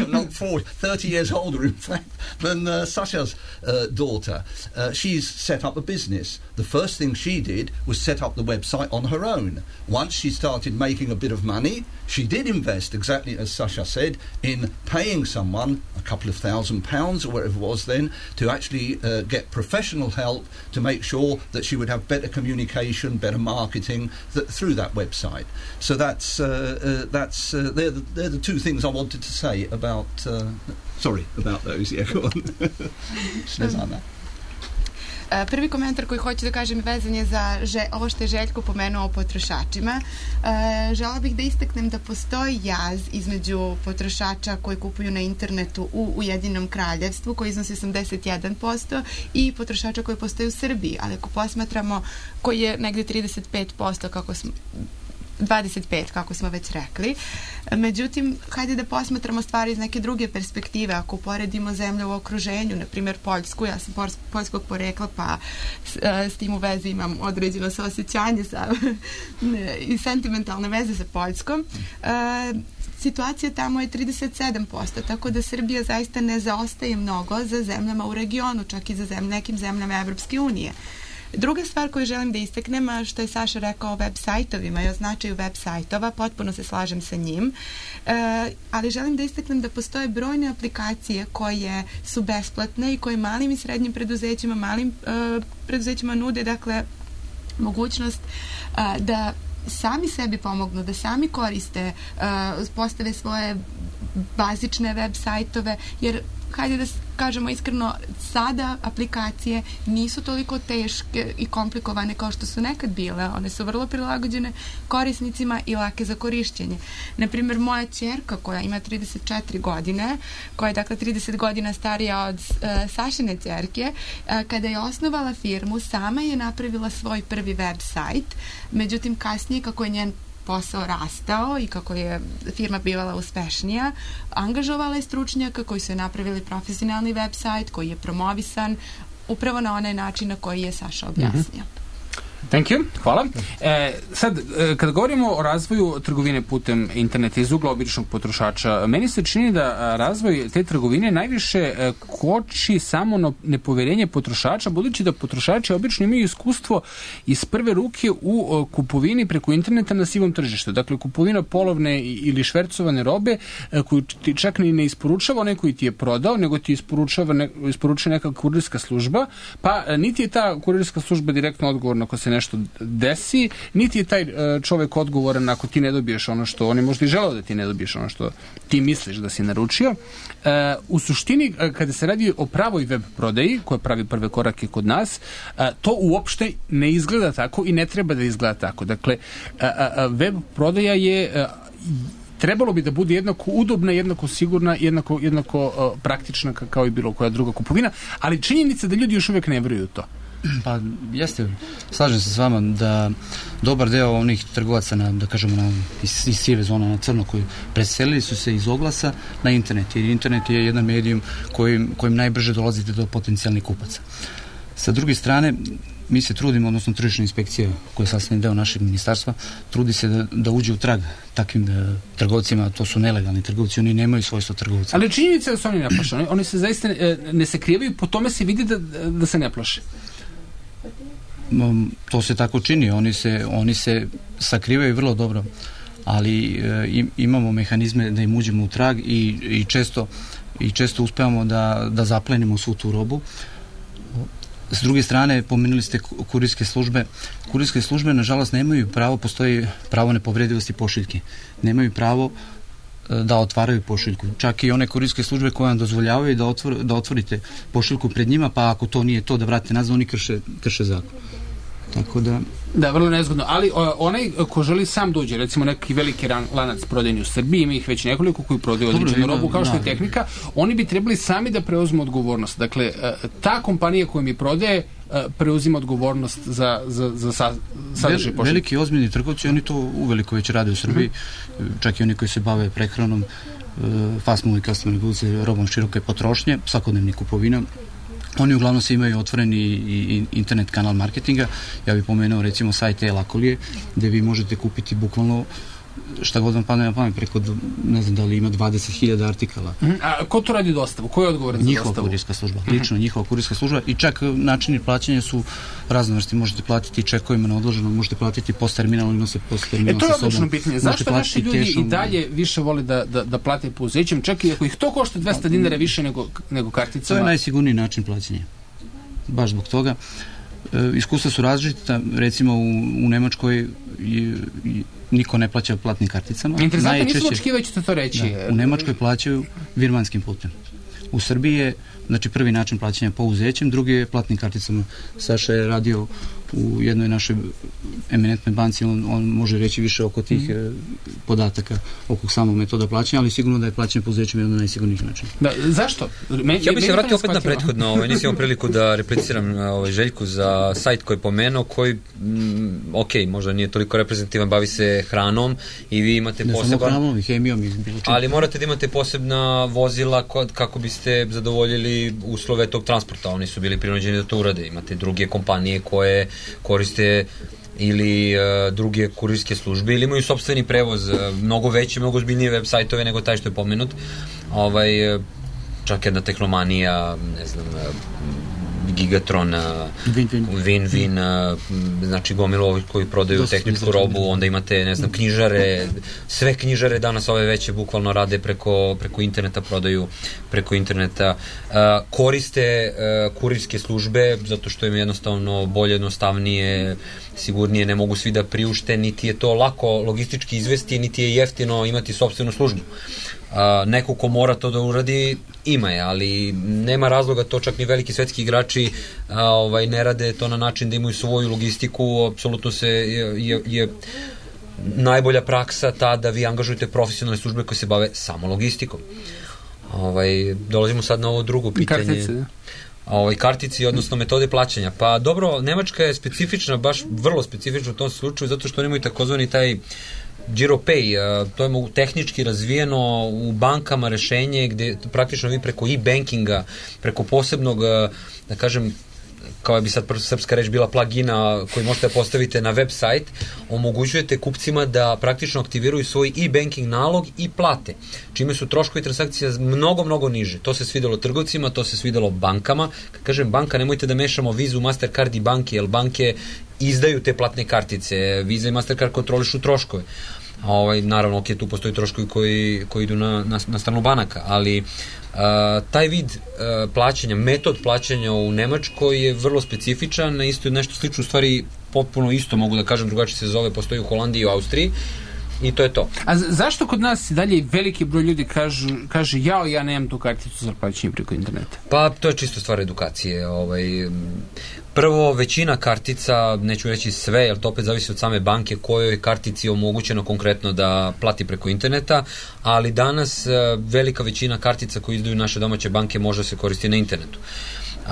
not four, thirty years older, in fact, than uh, Sasha's uh, daughter. Uh, she's set up a business. The first thing she did was set up the website on her own. Once she started making a bit of money, she did invest, exactly as Sasha said, in paying someone a couple of thousand pounds or whatever it was then to actually uh, Uh, get professional help to make sure that she would have better communication, better marketing th- through that website. So that's uh, uh, that's uh, they're the, they're the two things I wanted to say about. Uh, sorry about those. Yeah, go on. Snezana. Prvi komentar koji hoću da kažem vezan je za že, ovo što je Željko pomenuo o potrošačima. E, žela bih da istaknem da postoji jaz između potrošača koji kupuju na internetu u Ujedinjenom kraljevstvu, koji iznosi osamdeset jedan posto, i potrošača koji postoje u Srbiji, ali ako posmatramo, koji je negde trideset pet posto, kako smo dvadeset pet, kako smo već rekli. Međutim, hajde da posmatramo stvari iz neke druge perspektive. Ako uporedimo zemlje u okruženju, na primjer Poljsku, ja sam poljskog porekla, pa s, s tim u vezi imam određeno saosjećanje sa, i sentimentalne veze sa Poljskom. E, situacija tamo je trideset sedam posto, tako da Srbija zaista ne zaostaje mnogo za zemljama u regionu, čak i za zemlje, nekim zemljama Evropske unije. Druga stvar koju želim da istaknem, što je Saša rekao o web sajtovima i o značaju web sajtova, potpuno se slažem sa njim, e, ali želim da istaknem da postoje brojne aplikacije koje su besplatne i koje malim i srednjim preduzećima, malim e, preduzećima nude, dakle, mogućnost a, da sami sebi pomognu, da sami koriste, uh, postave svoje bazične web sajtove, jer hajde da kažemo iskreno, sada aplikacije nisu toliko teške i komplikovane kao što su nekad bile. One su vrlo prilagođene korisnicima i lake za korišćenje. Naprimjer, moja ćerka koja ima trideset četiri godine, koja je dakle trideset godina starija od uh, Sašine ćerke, uh, kada je osnovala firmu, sama je napravila svoj prvi web sajt. Međutim, kasnije, kako je njen posao rastao i kako je firma bivala uspešnija, angažovala je stručnjaka koji su je napravili profesionalni web sajt koji je promovisan upravo na onaj način na koji je Saša objasnio. Mm-hmm. Thank you, hvala. E, sad, e, kada govorimo o razvoju trgovine putem interneta iz ugla običnog potrošača, meni se čini da razvoj te trgovine najviše e, koči samo na nepoverenje potrošača, budući da potrošači obično imaju iskustvo iz prve ruke u o, kupovini preko interneta na sivom tržištu. Dakle, kupovina polovne ili švercovane robe e, koju ti čak ni ne isporučava onaj koji ti je prodao, nego ti isporučava ne, isporučuje neka kurirska služba, pa e, niti je ta kurirska služba direktno odgovorna ako se nešto desi, niti je taj uh, čovek odgovoran ako ti ne dobiješ ono što on je možda i želeo da ti ne dobiješ ono što ti misliš da si naručio. Uh, u suštini, uh, kada se radi o pravoj web prodaji, koja pravi prve korake kod nas, uh, to uopšte ne izgleda tako i ne treba da izgleda tako. Dakle, uh, uh, web prodaja je uh, trebalo bi da bude jednako udobna, jednako sigurna, jednako, jednako uh, praktična kao i bilo koja druga kupovina, ali činjenica da ljudi još uvijek ne vjeruju to. Pa jeste, slažem se s vama da dobar deo onih trgovaca na, da kažemo, na, iz, iz sive zone na crno koji preselili su se iz oglasa na internet, jer internet je jedan medijum kojim, kojim najbrže dolazite do potencijalnih kupaca. Sa druge strane, mi se trudimo, odnosno tržišna inspekcija koja je sastavni deo našeg ministarstva, trudi se da, da uđe u trag takvim da, trgovcima, to su nelegalni trgovci, oni nemaju svojstvo trgovca. Ali činjenica je da su oni ne plaše, oni, oni se zaista ne, ne se krivaju, po tome se vidi da, da se ne plaše. To se tako čini, oni se, oni se sakrivaju vrlo dobro, ali e, imamo mehanizme da im uđemo u trag i, i često i često uspevamo da, da zaplenimo svu tu robu. S druge strane, pomenuli ste kurirske službe. Kurirske službe, nažalost, nemaju pravo, postoji pravo nepovredivosti pošiljke. Nemaju pravo da otvaraju pošiljku. Čak i one kurirske službe koje vam dozvoljavaju da, otvor, da otvorite pošiljku pred njima, pa ako to nije to da vratite nazad, oni krše, krše zakon. Tako da... Da, vrlo nezgodno. Ali o, onaj ko želi sam dođe, recimo neki veliki ran, lanac prodajni u Srbiji, ima ih već nekoliko koji prodaju određenu robu kao što je Tehnika, oni bi trebali sami da preuzmu odgovornost. Dakle, ta kompanija koja mi prodaje preuzima odgovornost za, za, za sa, sadržaj pošiljke. Veliki ozbiljni trgovci, oni to uveliko već rade u Srbiji, mm-hmm. čak i oni koji se bave prehranom, fast moving customer goods, robom široke potrošnje, svakodnevnih kupovina. Oni uglavnom se imaju otvoreni i, i internet kanal marketinga. Ja bih pomenuo recimo sajt e-Lakolije, gde vi možete kupiti bukvalno šta god vam padne na pamet, preko, ne znam da li ima dvadeset hiljada artikala. Mm-hmm. A ko to radi dostavu? Ko je odgovoran za njihova dostavu? Njihova kurirska služba, mm-hmm. lično njihova kurirska služba i čak načini plaćanja su raznovrsti. Možete platiti čekovima na odloženo, možete platiti post terminal ili nose post terminal e, to je sa sobom. odlično pitanje. Zašto naši ljudi tešom... i dalje više vole da, da, da plate pouzećem, čak i ako ih to košta dvesta dinara više nego, nego karticama? To je najsigurniji način plaćanja. Baš zbog toga. E, iskustva su različita, recimo u, u Nemačkoj je, je, niko ne plaća platnim karticama. Interesantno, nisam očekivao ćete to reći. Da, u Nemačkoj plaćaju virmanskim putem. U Srbiji je, znači, prvi način plaćanja pouzećem, drugi je platnim karticama. Saša je radio u jednoj našoj eminentnoj banci, on, on može reći više oko tih mm. podataka, oko samog metoda plaćanja, ali sigurno da je plaćanje pouzećem jedan od najsigurnijih načina. Da, zašto? Me, ja bih se vratio opet na prethodno, ovaj, nisam imao priliku da repliciram ovaj, Željku za sajt koji je pomenuo, koji, mm, ok, možda nije toliko reprezentativan, bavi se hranom i vi imate ne poseban... Ne samo hranom i hemijom i bilo čim. Ali morate da imate posebna vozila kod, kako biste zadovoljili uslove tog transporta, oni su bili prinuđeni da to urade. Imate druge kompanije koje koriste ili uh, druge kurirske službe ili imaju sopstveni prevoz, uh, mnogo veće, mnogo ozbiljnije web sajtove nego taj što je pomenut. Ovaj, uh, čak jedna Tehnomanija, ne znam, uh, Gigatron, Win-Win, znači gomilu ovih koji prodaju tehničku robu, onda imate, ne znam, knjižare, sve knjižare danas ove veće bukvalno rade preko, preko interneta, prodaju preko interneta, koriste kurirske službe, zato što im jednostavno bolje, jednostavnije, sigurnije, ne mogu svi da priušte, niti je to lako logistički izvesti, niti je jeftino imati sopstvenu službu. A, neko ko mora to da uradi, ima je, ali nema razloga, to čak ni veliki svetski igrači a, ovaj, ne rade to na način da imaju svoju logistiku, apsolutno se je, je, je najbolja praksa ta da vi angažujete profesionalne službe koje se bave samo logistikom. Ovaj, dolazimo sad na ovo drugo pitanje. Kartice, da. Ovaj, kartici, odnosno metode plaćanja. Pa dobro, Nemačka je specifična, baš vrlo specifična u tom slučaju, zato što nemaju takozvani taj GiroPay, to je tehnički razvijeno u bankama rešenje gde praktično vi preko e-bankinga, preko posebnog, da kažem, kao bi sad srpska reč bila plugina koji možete da postavite na web sajt, omogućujete kupcima da praktično aktiviraju svoj e-banking nalog i plate, čime su troškovi transakcija mnogo, mnogo niže. To se svidelo trgovcima, to se svidelo bankama. Kad kažem banka, nemojte da mešamo Vizu, Mastercard i banke, jer banke izdaju te platne kartice. Visa i Mastercard kontrolišu troškove. Ovaj, naravno, ok, tu postoji troškovi koji, koji idu na, na, na stranu banaka, ali Uh, taj vid uh, plaćanja, metod plaćanja u Nemačkoj je vrlo specifičan, isto je nešto slično, u stvari potpuno isto, mogu da kažem, drugačije se zove, postoji u Holandiji i u Austriji i to je to. A zašto kod nas dalje veliki broj ljudi kažu, kaže jao, ja nemam tu karticu za plaćanje preko interneta? Pa to je čisto stvar edukacije. Ovaj, prvo, većina kartica, neću reći sve, jer to opet zavisi od same banke kojoj kartici je omogućeno konkretno da plati preko interneta, ali danas velika većina kartica koje izdaju naše domaće banke može se koristiti na internetu. Uh,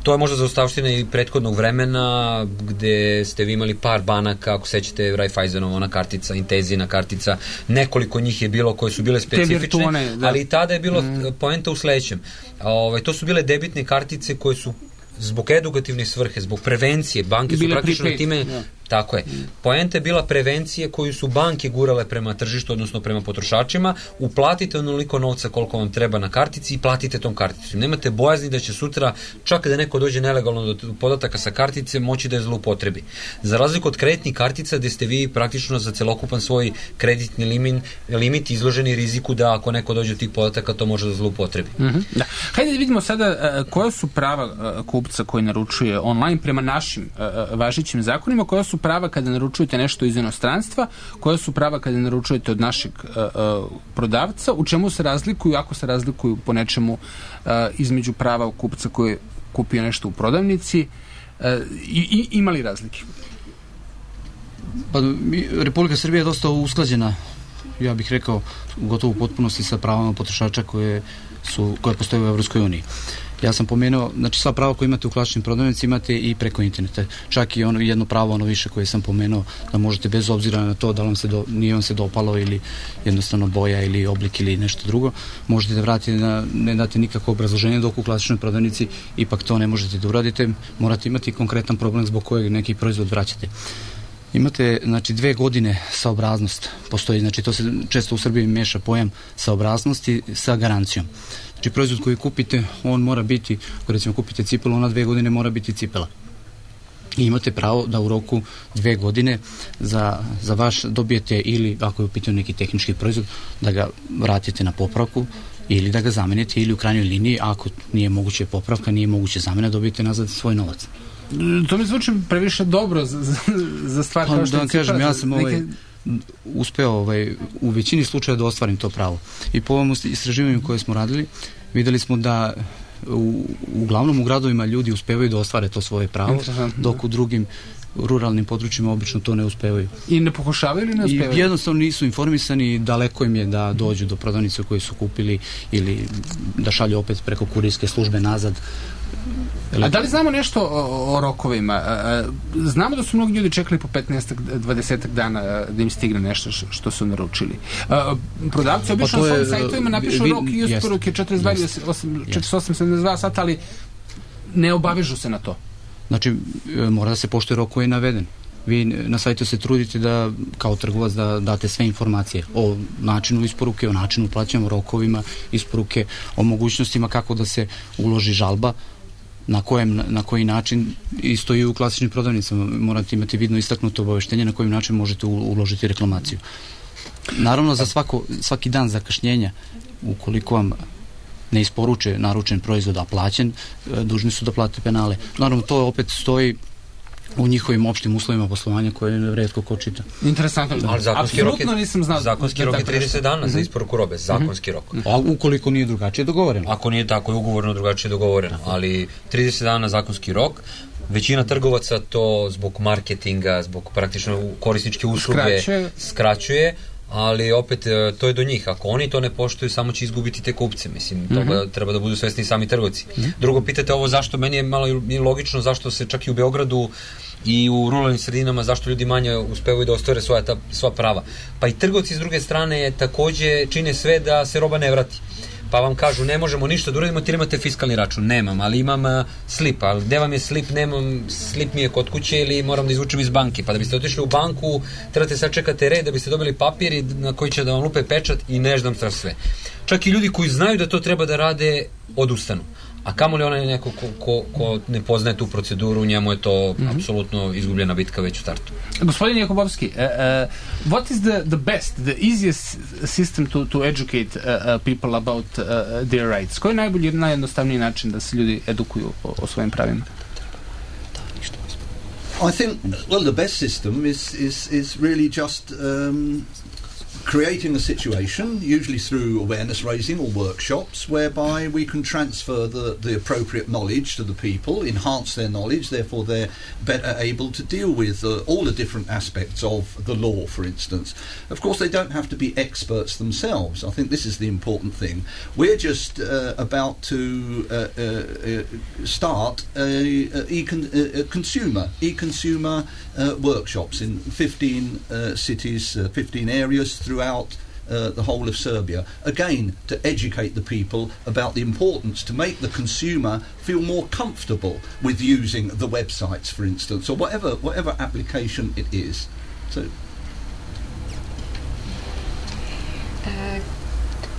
to je možda zaostavština i prethodnog vremena gde ste vi imali par banaka, ako sećate Raiffeisenova ona kartica, Intesina kartica, nekoliko njih je bilo koje su bile specifične, virtuone, da. Ali i tada je bilo mm. poenta u sledećem. Ove, to su bile debitne kartice koje su zbog edukativne svrhe, zbog prevencije, banke su praktično prepaid, time, ja. Tako je. Poenta je bila prevencije koju su banke gurale prema tržištu, odnosno prema potrošačima, uplatite onoliko novca koliko vam treba na kartici i platite tom karticom. Nemate bojazni da će sutra, čak da neko dođe nelegalno do podataka sa kartice, moći da je zloupotrebi. Za razliku od kreditnih kartica, gde ste vi praktično za celokupan svoj kreditni limit, limit izloženi riziku da ako neko dođe do tih podataka, to može da zloupotrebi. Mm-hmm. Da. Hajde da vidimo sada uh, koja su prava uh, kupca koji naručuje online prema našim uh, važećim zakonima, koja su prava kada naručujete nešto iz inostranstva, koja su prava kada naručujete od našeg uh, uh, prodavca, u čemu se razlikuju, ako se razlikuju po nečemu uh, između prava kupca koji je kupio nešto u prodavnici, uh, i, i ima li razlike? Pa, Republika Srbija je dosta usklađena, ja bih rekao, gotovo u potpunosti sa pravama potrošača koje, su, koje postoje u Evropskoj uniji. Ja sam pomenuo, znači sva prava koje imate u klasičnim prodavnicama imate i preko interneta. Čak i ono jedno pravo, ono više koje sam pomenuo, da možete bez obzira na to da vam se do, nije vam se dopalo ili jednostavno boja ili oblik ili nešto drugo, možete da vratite, na, ne date nikakvo obrazloženje, dok u klasičnoj prodavnici ipak to ne možete da uradite, morate imati konkretan problem zbog kojeg neki proizvod vraćate. Imate, znači, dve godine saobraznost postoji, znači to se često u Srbiji meša pojam saobraznosti sa garancijom. Znači, proizvod koji kupite, on mora biti, ako recimo kupite cipelu, ona dve godine mora biti cipela. I imate pravo da u roku dve godine za, za vaš dobijete ili, ako je u pitanju neki tehnički proizvod, da ga vratite na popravku ili da ga zamenite ili u krajnjoj liniji, ako nije moguće popravka, nije moguće zamena, dobijete nazad svoj novac. To mi zvuči previše dobro za, za, za stvar kao što da je cipela. Da vam kažem, ja sam ovaj, uspeo ovaj, u većini slučaja da ostvarim to pravo. I po ovom istraživanju koje smo radili, videli smo da u, uglavnom u gradovima ljudi uspevaju da ostvare to svoje pravo, dok u drugim ruralnim područjima obično to ne uspevaju. I ne pokušavaju ili ne uspevaju? I jednostavno nisu informisani, daleko im je da dođu do prodavnice koje su kupili ili da šalju opet preko kurirske službe nazad. A da li znamo nešto o, o rokovima? Znamo da su mnogi ljudi čekali po petnaest do dvadeset dana da im stigne nešto što su naručili. Prodavci obično pa na svojim sajtovima napišu vi, rok i isporuke četrdeset dva, četrdeset osam, sedamdeset dva sata, ali ne obavežu se na to. Znači, mora da se poštuje rok koji je naveden. Vi na sajtu se trudite da, kao trgovac, da date sve informacije o načinu isporuke, o načinu plaćanja, o rokovima isporuke, o mogućnostima kako da se uloži žalba. na, kojem, na koji način, isto i u klasičnim prodavnicama, morate imati vidno istaknuto obaveštenje na kojim način možete uložiti reklamaciju. Naravno, za svako, svaki dan zakašnjenja, ukoliko vam ne isporuče naručen proizvod, a plaćen, dužni su da plate penale. Naravno, to opet stoji u njihovim opštim uslovima poslovanja koje retko ko čita. Interesantno. Da. Ali zakonski rok je, nisam znao, zakonski rok je trideset dana za isporuku robe. Zakonski rok. A ukoliko nije drugačije dogovoreno? Ako nije tako, je ugovorno drugačije dogovoreno. Ali trideset dana zakonski rok. Većina trgovaca to zbog marketinga, zbog praktično korisničke usluge skraćuje, skraćuje ali opet to je do njih. Ako oni to ne poštuju, samo će izgubiti te kupce. Mislim, mm-hmm. toga treba da budu svesni sami trgovci. Mm-hmm. Drugo, pitate ovo zašto, meni je malo logično zašto se čak i u Beogradu i u ruralnim sredinama, zašto ljudi manje uspevaju da ostvare svoja, ta, svoja prava. Pa i trgovci s druge strane takođe čine sve da se roba ne vrati. Pa vam kažu, ne možemo ništa da uradimo, ti imate fiskalni račun. Nemam, ali imam uh, slip. Ali gde vam je slip? Nemam, slip mi je kod kuće ili moram da izvučem iz banke. Pa da biste otišli u banku, trebate sad čekate red da biste dobili papir na koji će da vam lupe pečat i ne znam šta sve. Čak i ljudi koji znaju da to treba da rade, odustanu. A kamoli onaj neko ko, ko, ko ne poznaje tu proceduru, njemu je to mm-hmm. apsolutno izgubljena bitka već u startu. Gospodin Jakubovski, uh, uh, what is the, the best, the easiest system to, to educate uh, uh, people about uh, their rights? Koji je najbolji, najjednostavniji način da se ljudi edukuju o, o svojim pravima? I think, well, the best system is, is, is really just um, creating a situation, usually through awareness raising or workshops, whereby we can transfer the, the appropriate knowledge to the people, enhance their knowledge, therefore they're better able to deal with uh, all the different aspects of the law, for instance. Of course, they don't have to be experts themselves. I think this is the important thing. We're just uh, about to uh, uh, uh, start a, a, e-con- a consumer, e-consumer uh, workshops in fifteen uh, cities, uh, fifteen areas throughout uh, the whole of Serbia, again to educate the people about the importance to make the consumer feel more comfortable with using the websites, for instance, or whatever whatever application it is. So uh,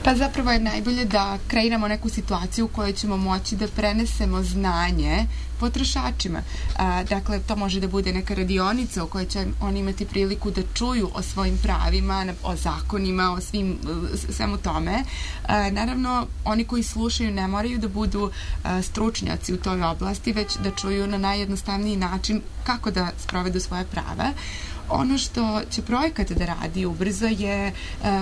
pa zapravo je najbolje da kreiramo neku situaciju u kojoj ćemo moći da prenesemo znanje potrošačima. A, dakle, to može da bude neka radionica u kojoj će oni imati priliku da čuju o svojim pravima, o zakonima, o svim, svemu tome. A, naravno, oni koji slušaju ne moraju da budu a, stručnjaci u toj oblasti, već da čuju na najjednostavniji način kako da sprovedu svoje prava. Ono što će projekat da radi ubrzo je e,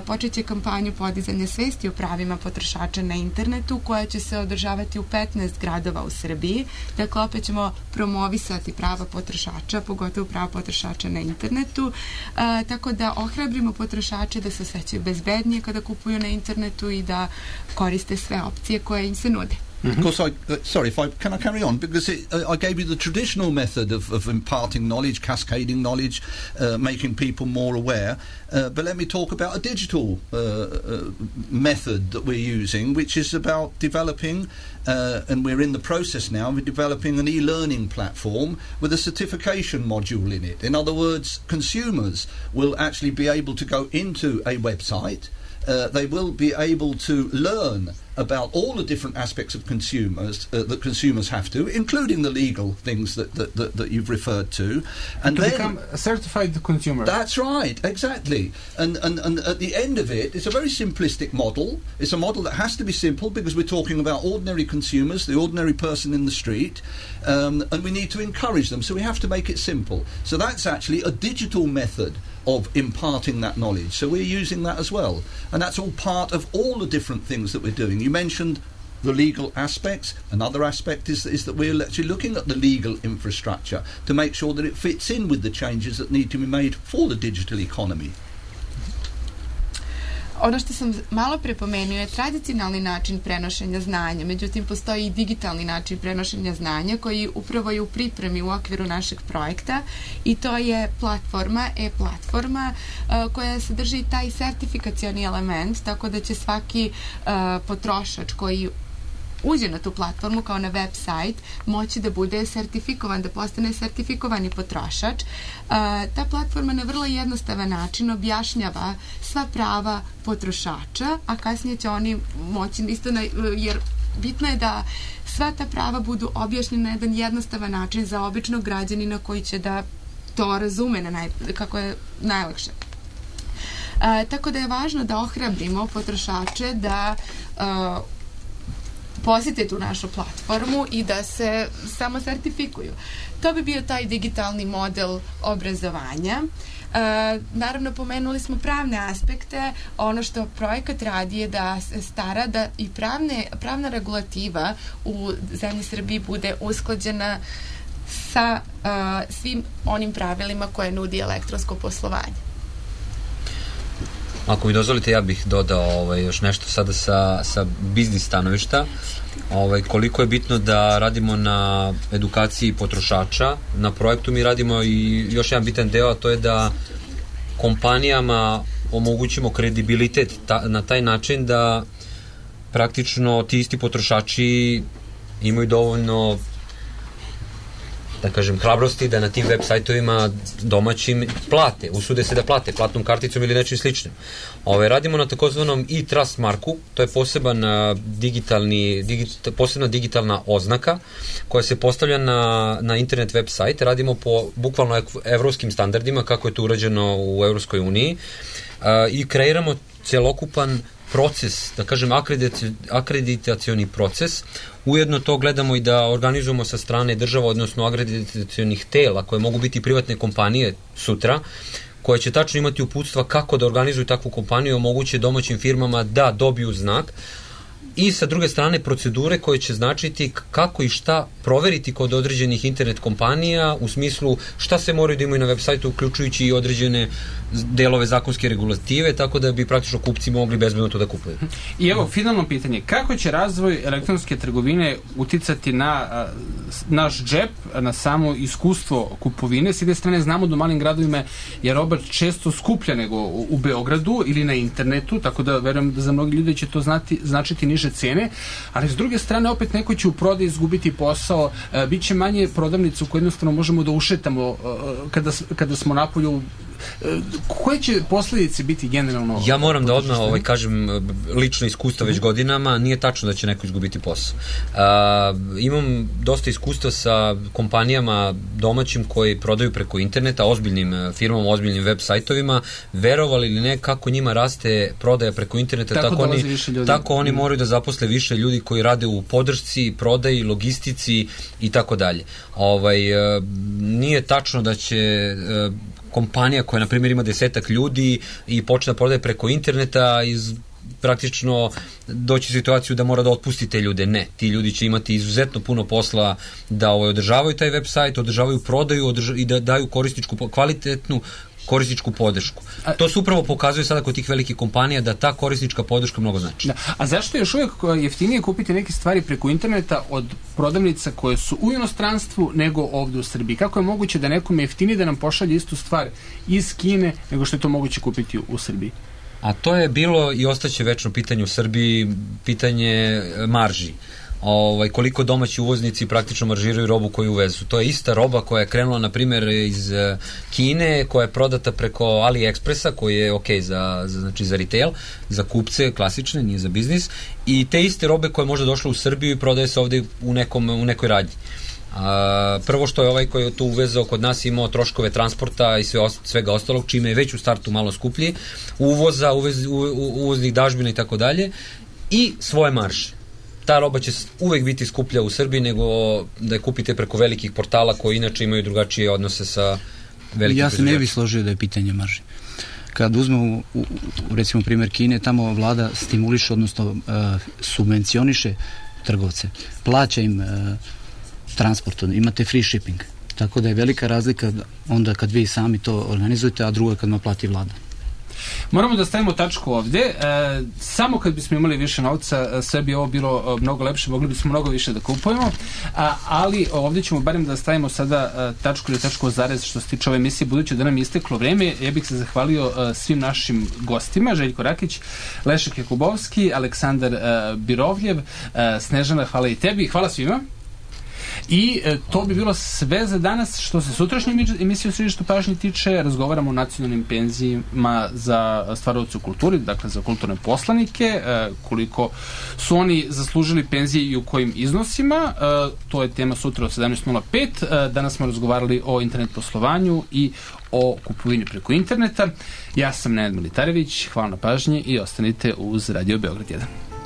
počeće kampanju podizanja svesti o pravima potrošača na internetu koja će se održavati u petnaest gradova u Srbiji. Dakle, opet ćemo promovisati prava potrošača, pogotovo prava potrošača na internetu, e, tako da ohrabrimo potrošače da se osjećaju bezbednije kada kupuju na internetu i da koriste sve opcije koje im se nude. Mm-hmm. Of course, I, uh, sorry, if I can I carry on because it, uh, I gave you the traditional method of, of imparting knowledge, cascading knowledge, uh, making people more aware. Uh, but let me talk about a digital uh, uh, method that we're using, which is about developing, uh, and we're in the process now of developing an e-learning platform with a certification module in it. In other words, consumers will actually be able to go into a website. Uh, they will be able to learn about all the different aspects of consumers uh, that consumers have to, including the legal things that that, that, that you've referred to, and to then become a certified consumer. That's right, exactly. And, and and at the end of it, it's a very simplistic model. It's a model that has to be simple because we're talking about ordinary consumers, the ordinary person in the street, um, and we need to encourage them. So we have to make it simple. So that's actually a digital method of imparting that knowledge. So we're using that as well. And that's all part of all the different things that we're doing. You mentioned the legal aspects. Another aspect is, is that we're actually looking at the legal infrastructure to make sure that it fits in with the changes that need to be made for the digital economy. Ono što sam malo pre pomenuo je tradicionalni način prenošenja znanja, međutim postoji i digitalni način prenošenja znanja koji upravo je u pripremi u okviru našeg projekta i to je platforma, e-platforma uh, koja sadrži taj sertifikacioni element, tako da će svaki uh, potrošač koji uđe na tu platformu kao na web sajt moći da bude sertifikovan, da postane sertifikovani potrošač. Uh, ta platforma na vrlo jednostavan način objašnjava sva prava potrošača, a kasnije će oni moći isto na, jer bitno je da sva ta prava budu objašnjena na jedan jednostavan način za običnog građanina koji će da to razume na naj, kako je najlakše. E, tako da je važno da ohrabrimo potrošače da e, posjete tu našu platformu i da se samo sertifikuju. To bi bio taj digitalni model obrazovanja. E, naravno, pomenuli smo pravne aspekte. Ono što projekat radi je da se stara da i pravne, pravna regulativa u zemlji Srbiji bude usklađena sa uh, svim onim pravilima koje nudi elektronsko poslovanje. Ako mi dozvolite, ja bih dodao ovaj, još nešto sada sa, sa biznis stanovišta. Ovaj, koliko je bitno da radimo na edukaciji potrošača. Na projektu mi radimo i još jedan bitan deo, a to je da kompanijama omogućimo kredibilitet ta, na taj način da praktično ti isti potrošači imaju dovoljno, da kažem, hrabrosti da na tim web sajtovima domaćim plate, usude se da plate platnom karticom ili nečim sličnim. Ove, radimo na takozvanom e-trust marku, to je poseban digitalni, digit, posebna digitalna oznaka koja se postavlja na, na internet web sajt. Radimo po bukvalno evropskim standardima, kako je to urađeno u Evropskoj uniji, a, i kreiramo celokupan proces, da kažem, akreditacioni proces. Ujedno to gledamo i da organizujemo sa strane država, odnosno akreditacionih tela, koje mogu biti privatne kompanije sutra, koje će tačno imati uputstva kako da organizuju takvu kompaniju i omoguće domaćim firmama da dobiju znak, i sa druge strane procedure koje će značiti kako i šta proveriti kod određenih internet kompanija, u smislu šta se moraju da imaju na web sajtu, uključujući i određene delove zakonske regulative, tako da bi praktično kupci mogli bezbedno to da kupuju. I evo, finalno pitanje, kako će razvoj elektronske trgovine uticati na a, naš džep, na samo iskustvo kupovine? S jedne strane znamo da u malim gradovima je roba često skuplja nego u, u Beogradu ili na internetu, tako da verujem da za mnogi ljudi će to znati, značiti niže cene, ali s druge strane opet neko će u prodaju izgubiti posao, e, bit će manje prodavnica u koje jednostavno možemo da ušetamo e, kada, kada smo napolju. E, koje će posledice biti generalno? Ja moram da odmah ovaj, kažem lično iskustvo već godinama, nije tačno da će neko izgubiti posao. A, imam dosta iskustva sa kompanijama domaćim koji prodaju preko interneta, ozbiljnim firmama, ozbiljnim web sajtovima. Verovali ili ne, kako njima raste prodaja preko interneta, tako, tako, oni, tako oni moraju da zaposle više ljudi koji rade u podršci, prodaji, logistici i tako dalje. Ovaj, nije tačno da će kompanija koja, na primjer, ima desetak ljudi i počne da prodaje preko interneta iz praktično doći u situaciju da mora da otpusti te ljude. Ne, ti ljudi će imati izuzetno puno posla da ovaj, održavaju taj web sajt, održavaju prodaju održa, i da daju korisničku, kvalitetnu korisničku podršku. A, to se upravo pokazuje sada kod tih velikih kompanija da ta korisnička podrška mnogo znači. Da. A zašto je još uvijek jeftinije kupiti neke stvari preko interneta od prodavnica koje su u inostranstvu nego ovdje u Srbiji? Kako je moguće da nekom je jeftinije da nam pošalje istu stvar iz Kine nego što je to moguće kupiti u Srbiji? A to je bilo i ostaće večno pitanje u Srbiji, pitanje marži. Ovaj, koliko domaći uvoznici praktično maržiraju robu koju uvezu. To je ista roba koja je krenula, na primjer, iz Kine, koja je prodata preko AliExpressa, koji je ok za, za, znači za retail, za kupce klasične, nije za biznis, i te iste robe koje je možda došla u Srbiju i prodaje se ovdje u, nekom, u nekoj radnji. A, prvo što je ovaj koji je to uvezao kod nas imao troškove transporta i sve, svega ostalog, čime je već u startu malo skuplji, uvoza, uvez, u, u, uvoznih dažbina i tako dalje, i svoje marže. Ta roba će uvek biti skuplja u Srbiji nego da je kupite preko velikih portala koji inače imaju drugačije odnose sa velikim. Ja se ne bih složio da je pitanje marži. Kad uzmemo u, u recimo primjer Kine, tamo vlada stimuliše, odnosno uh, subvencioniše trgovce. Plaća im uh, transport, imate free shipping. Tako da je velika razlika onda kad vi sami to organizujete, a drugo je kad naplati vlada. Moramo da stavimo tačku ovdje. E, samo kad bismo imali više novca, sve bi ovo bilo mnogo lepše, mogli bismo mnogo više da kupujemo, a, ali ovdje ćemo barem da stavimo sada a, tačku ili tačku o zarez što se tiče ove emisije, budući da nam je isteklo vreme. Ja bih se zahvalio a, svim našim gostima, Željko Rakić, Lešek Jakubovski, Aleksandar a, Birovljev, a, Snežana, hvala i tebi, hvala svima. I e, to bi bilo sve za danas. Što se sutrašnje emisije u središtu pažnje tiče, razgovaramo o nacionalnim penzijima za stvaraoce u kulturi, dakle za kulturne poslanike, e, koliko su oni zaslužili penzije i u kojim iznosima. E, to je tema sutra od sedamnaest nula pet. E, danas smo razgovarali o internet poslovanju i o kupovini preko interneta. Ja sam Nenad Militarević, hvala na pažnji i ostanite uz Radio Beograd jedan.